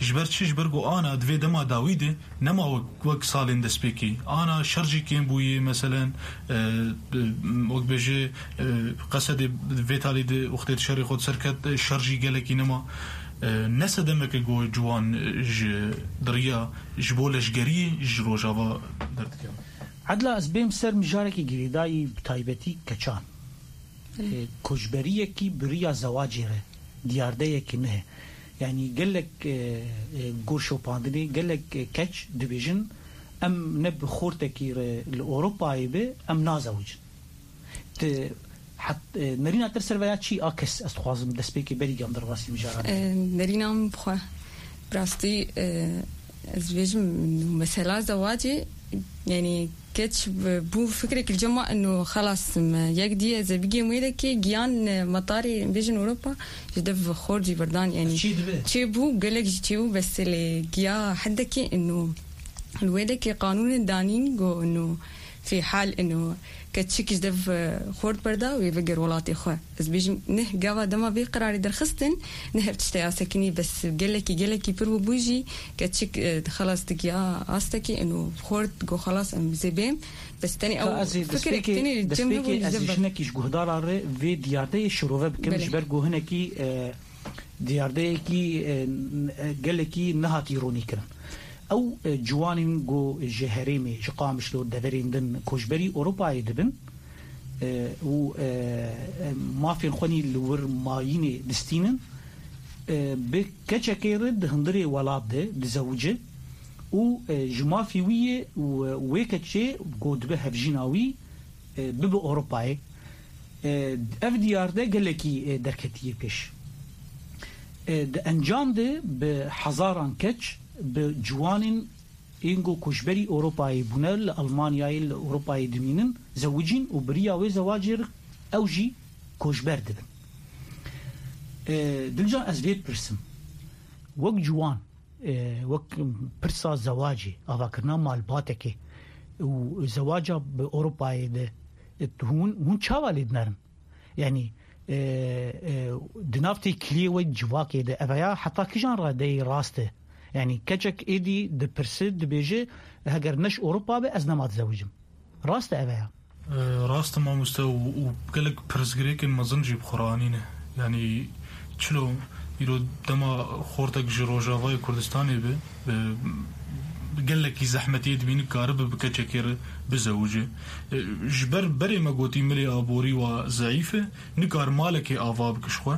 ji ber çi? Ji ber ku ana di vê dema dawî de nema wek, wek salên destpêkî. Ana şer jî kêm bûye, meselen, e, wek bêje, e, Qesedê vê talî de wextê di şerê xwe di ser ket, e, şer jî gelekî nema. E, ne sedemeke ku ciwan, e, ji diriya, ji bo leşgeriyê ji Rojava derdikeve. Edla, ez bêm ser mijarekî girêdayî, bi taybetî keçan. Belê. E, koçberiyekî bi riya zewacê re diyardeyekî nihe. Yanî gelek, e, e, gor şopandinê, gelek, e, keç dibêjin, em ne bi xortekî re li Ewropayê be, em nazewicin. Ti het-, e, nerîna te li ser veya çi a kes, ez dixwazim destpêkê berî gam derbasî mijaran. E, nerîna min bi xwe. Bi rastî, e, ez dibêjim, mesela zewacê, yanî keç b-, bû fikrek li cem wan ino xelas me yek dî ez ê bigêm wê dekê giyan, e, metarê bêjin Ewropa ji dev xor jî berdan, yanî çê dibe. Çêbû, gelek jî çêbû, bes lê giya hedekê ino li wê dekê qanûnê danîn go ino fî hal ino keçik ji dev, e, xort berda wê veger welatê xwe. Ez bêjim, neh gava dema vê qerarê derxistin, neh ev tişteya sekinî, bes gelekî, gelekî pir bû, bû jî keçik, e, xelas digiya astekî ino xort go xelas em zê bêm. Bes tenê Ka ew ez ê fikirek destpêkê, tenê li cem destpêkê hebû li ez ê zever. Jinekî ji guhdara re vê diyardeyê şirove bikim, Belê. Ji ber ku hinekî, e, diyardeyekî, e, n-, e, gelekî nehatî ronîkirin. Ew, e, ciwanên ku ji herêmê, ji Qamişlo, deverên din koçberî Ewropayê dibin, e, û, e, e, mafên xwe nî li wir mayînê distînin, e, bi keçekê re di hundirê welat de dizewicin û, e, ji mafê wî ye û, e, wê keçê ku dibe hevjîna wî, e, bibe Ewropayê. E, ev diyar de gelekî, e, derketiye pêş. E, di encam de bi hezaran keç, bi ciwanên ên ku koçberî Ewropayê bûne, li Almanyayê, li Ewropayê dimînin, zewicîn û bi riya wê zewacê re ew jî koçber dibin. E, Dilcan, ez vê dipirsim. Wek ciwan, e, wek pirsa zewacê, avakirina malbatekê û zewaca bi Ewropayê de, e, hûn, hûn çawa lê dinerin? Yanî, e, e, di nav têkiliyê we civakê de, ev ya heta kijan radeyî rast e? Yanî, keçek êdî dipirse, dibêje, heger ne ji Ewropa be, ez nema dizewicim. Rast e ev ya? E, rast e mamoste û, û gelek pirsgirêkên mezin jî bi xwe re anîne. Yanî, çilo îro dema xortek ji Rojavayê Kurdistanê be, e, gelekî zehmetiyê dibîne karibe bi keçekê re bizewice. E, ji ber berê me gotî milê aborî wa zeîf e, nikar malekê ava bike ji xwe.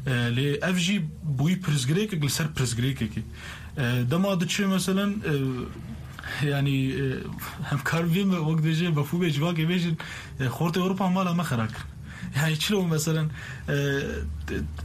E, lê ev jî bûyî pirsgirêkek li ser pirsgirêkekê. E, dema diçe meselen, e, yanî, e, em kar vê me wek dibêje mefhûmê civakê bêjin, e, xortê Ewropa mala me xera kir. Yani çilo meselen, e,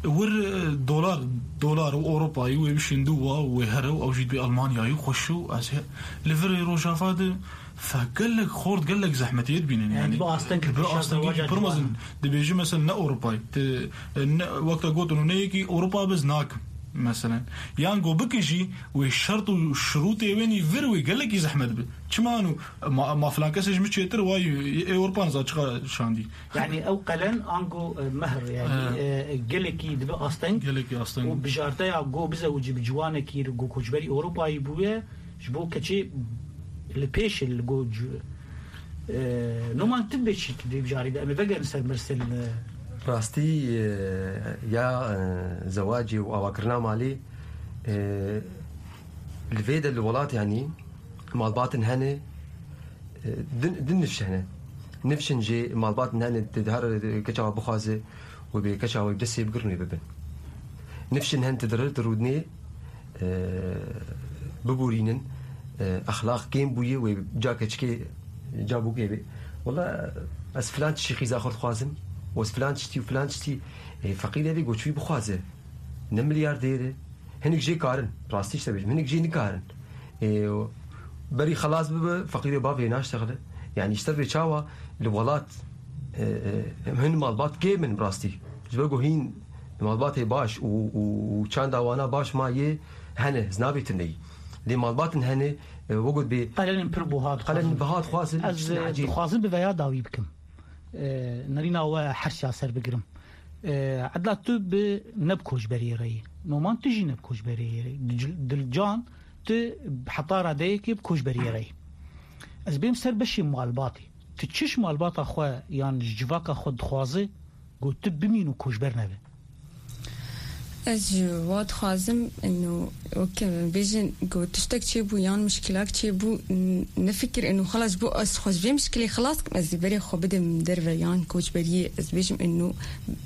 wir, e, dolar, dolar û Ewropayî wê bişîn dû wa û wê here û ew jî dibê Almanyayî xweş û ez he-, li virê Rojava de fe gelek xort, gelek zehmetiyê dibînin. Yani Yani, bi asteng bi kişa astengî zewaca pir mezin ciwan. Dibêjî mesela ne Ewropayî, te, e, ne, wekta gotin û ne yekî Ewropa biz nakim. Meselen. Yan go bike jî wê şert û şirûtê wê nî vir wê gelekî zehmet bi. Çima anu ma, ma filan kesê ji min çêtir way ê Ewropa niza çiqa şandî. Yani ew qelen ango, e, mehr, yani, Ha. e, gelekî dibe asteng. Gelekî asteng. Û bijarteya go bizewicî bi ciwanekî go koçberî Ewropayî bûye, ji bo keçê li pêş li go cu-, e, Noman, tu dibê çi tu dê bijarî de? Em ê vegerin ser mirsel, e. Rastî, e, ya, e, zewacê û avakirina malê, e, li vê de li welat, yanî, malbatin hene, e, din, din nifş hene. Nifşin jê malbatin hene, di, di her, e, keça we bixwaze û bê keça we destê bigirin wê bibin. Nifşin hen ti dirir, ti rûdinê, e, biborînin, e, exlaq kêm bûye wê ca keçikê, ca bûkê bê. Wela ez filan tiştî qîza xwe dixwazim, û ez filan tiştî û filan tiştî, e, feqîrê vê goçûyî bixwaze. Ne milyardêr e. Hinek jê karin, rastî ji te bêjim, hinek jê nikarin. E, berî xelas bibe, feqîrê bavê naştexile. Yani ji te vê çawa li welat, e, e, hin malbat kêm in bi rastî. Ji ber ku hîn malbatê baş û, û, û çanda wana baş ma yê hene, ez nabê tuneyî. Lê malbatin hene, e, wegot bê Qelenên pir buha dixwazin. Qelenên biha dixwazin, Ez, tiştên e, ecêb. dixwazim bi veya dawî bikim. E, nerîna we hersiya ser bigirim. E, edla tu bi ne bi koçberiyê re yî. Noman tu jî ne bi koçberiyê re yî. Dil-, Dilcan tu heta radeyekê bi koçberiyê re yî. Ez bêm ser beşê malbatê. Tu çi ji malbata xwe yan ji civaka xwe dixwaze, ku tu bimîn û koçber nebe? Ez ji wa dixwazim, ino, wek bêjin, ku tiştek çêbû yan mişkilak çêbû, n-, nefikir, ino, xelas, ji bo ez xwe ji vê mişkilê xelas kim, ez ê berê xwe bidim derve yan koçberiyê, ez bêjim, ino,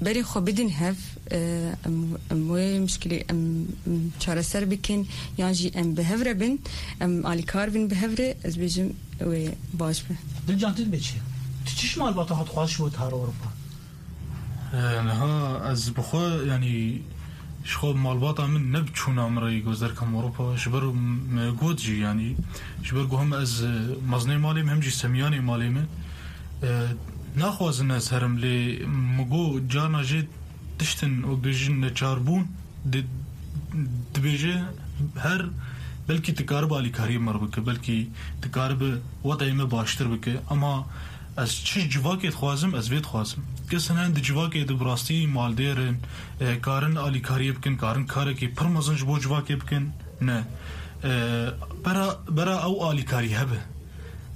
berê xwe bidin hev, e, em, em wê mişkilê em, em çareser bikin, yan jî em bi hev re bin, em alîkar bin bi hev re, ez bêjim, wê baş be. Dilcan, tu dibê çi? Tu çi ji malbata xwe dixwaz ji bo tu har Ewropa? E, niha ez bi xwe, yanî, ji xwe malbata min ne bi çûna min re yî ku ez derkem Ewropa. Ji ber me got jî, yanî, ji ber ku hem ez, e, mezinê malê me, hem jî semiyanê malê me, e, naxwazin ez herim, lê min got carna jê tiştin wek bêjin neçarbûn di-, dibêje her belkî tu karibe alîkariyê me re bike, belkî tu karibe wetayê me baştir bike. Ama ez çi civakê dixwazim, ez vê dixwazim. Kesin hene di civakê de bi rastî maldêr in, e, karin alîkariyê bikin, karin karekî pir mezin ji bo civakê bikin. Ne. E, bera, bera ew alîkarî hebe.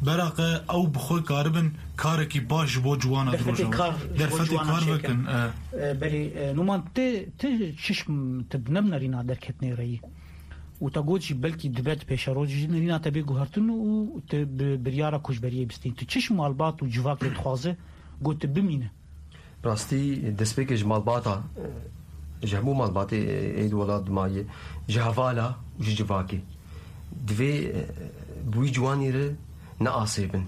Bera qe ew bi xwe karibin karekî baş ji bo ciwana Derfetê dirojava. kar ji bo Derfetê ciwana kar çêkin. bikin, e. E, belê, e, Numan, ti, ti çiş, ti bi nebnerîna derketinê re yî. Û te got jî belkî dibe di pêşerojê jî nerîna te bê guhertin û te bi biryara koçberiyê bistîn. Tu çiş malbat û civakê dixwaze, got tu bimîne? Rastî, destpêkê ji malbata, e, ji hemû malbatê, e, ê di welat dimayê, ji hevala û ji civakê. Divê, e, bi wî ciwanî re neasêbin.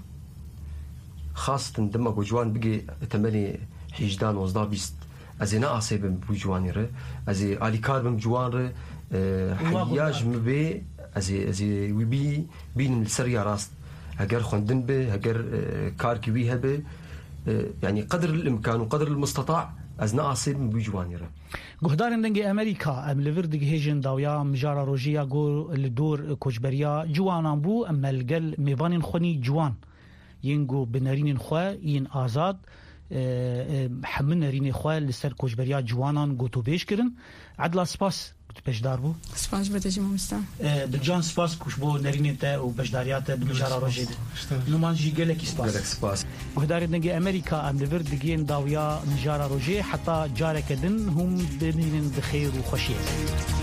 Xastin dema ku ciwan bigê temelê hêjda, nozdeh, bîst. Ez ê neasê bim bi wî ciwanî re. Ez ê alîkar bim ciwan re. E, Heyya ji min bê, ez ê, ez ê wî bî, bînim li ser ya rast. Heger xwendin be, heger, e, karkî wî hebe, e, yanî qedr el imkan û qedr el misteta ez neasê bim bi wî ciwanî re. Guhdarên Dengê Amerîka, em li vir digihêjin dawiya mijara rojê ya ku li dor koçberiya ciwanan bû, em me li gel mêvanên xwe nî ciwan yên ku bi nerînên xwe yên azad, e, e, hemû nerînê xwe li ser koçberiya ciwanan gotûbêj kirin. Edla, spas ku tu beşdar bû. Spas ji bo te jî, mamosta. E, Dilcan, spas ku ji bo nerînên te û beşdariya te di mijara rojê de. Numan jî gelekî spas. Gelek spas. Guhdarên Dengê Amerîka, em li vir digihên dawiya mijara rojê, heta careke din hûn bimînin bi xêr û xweşiyê.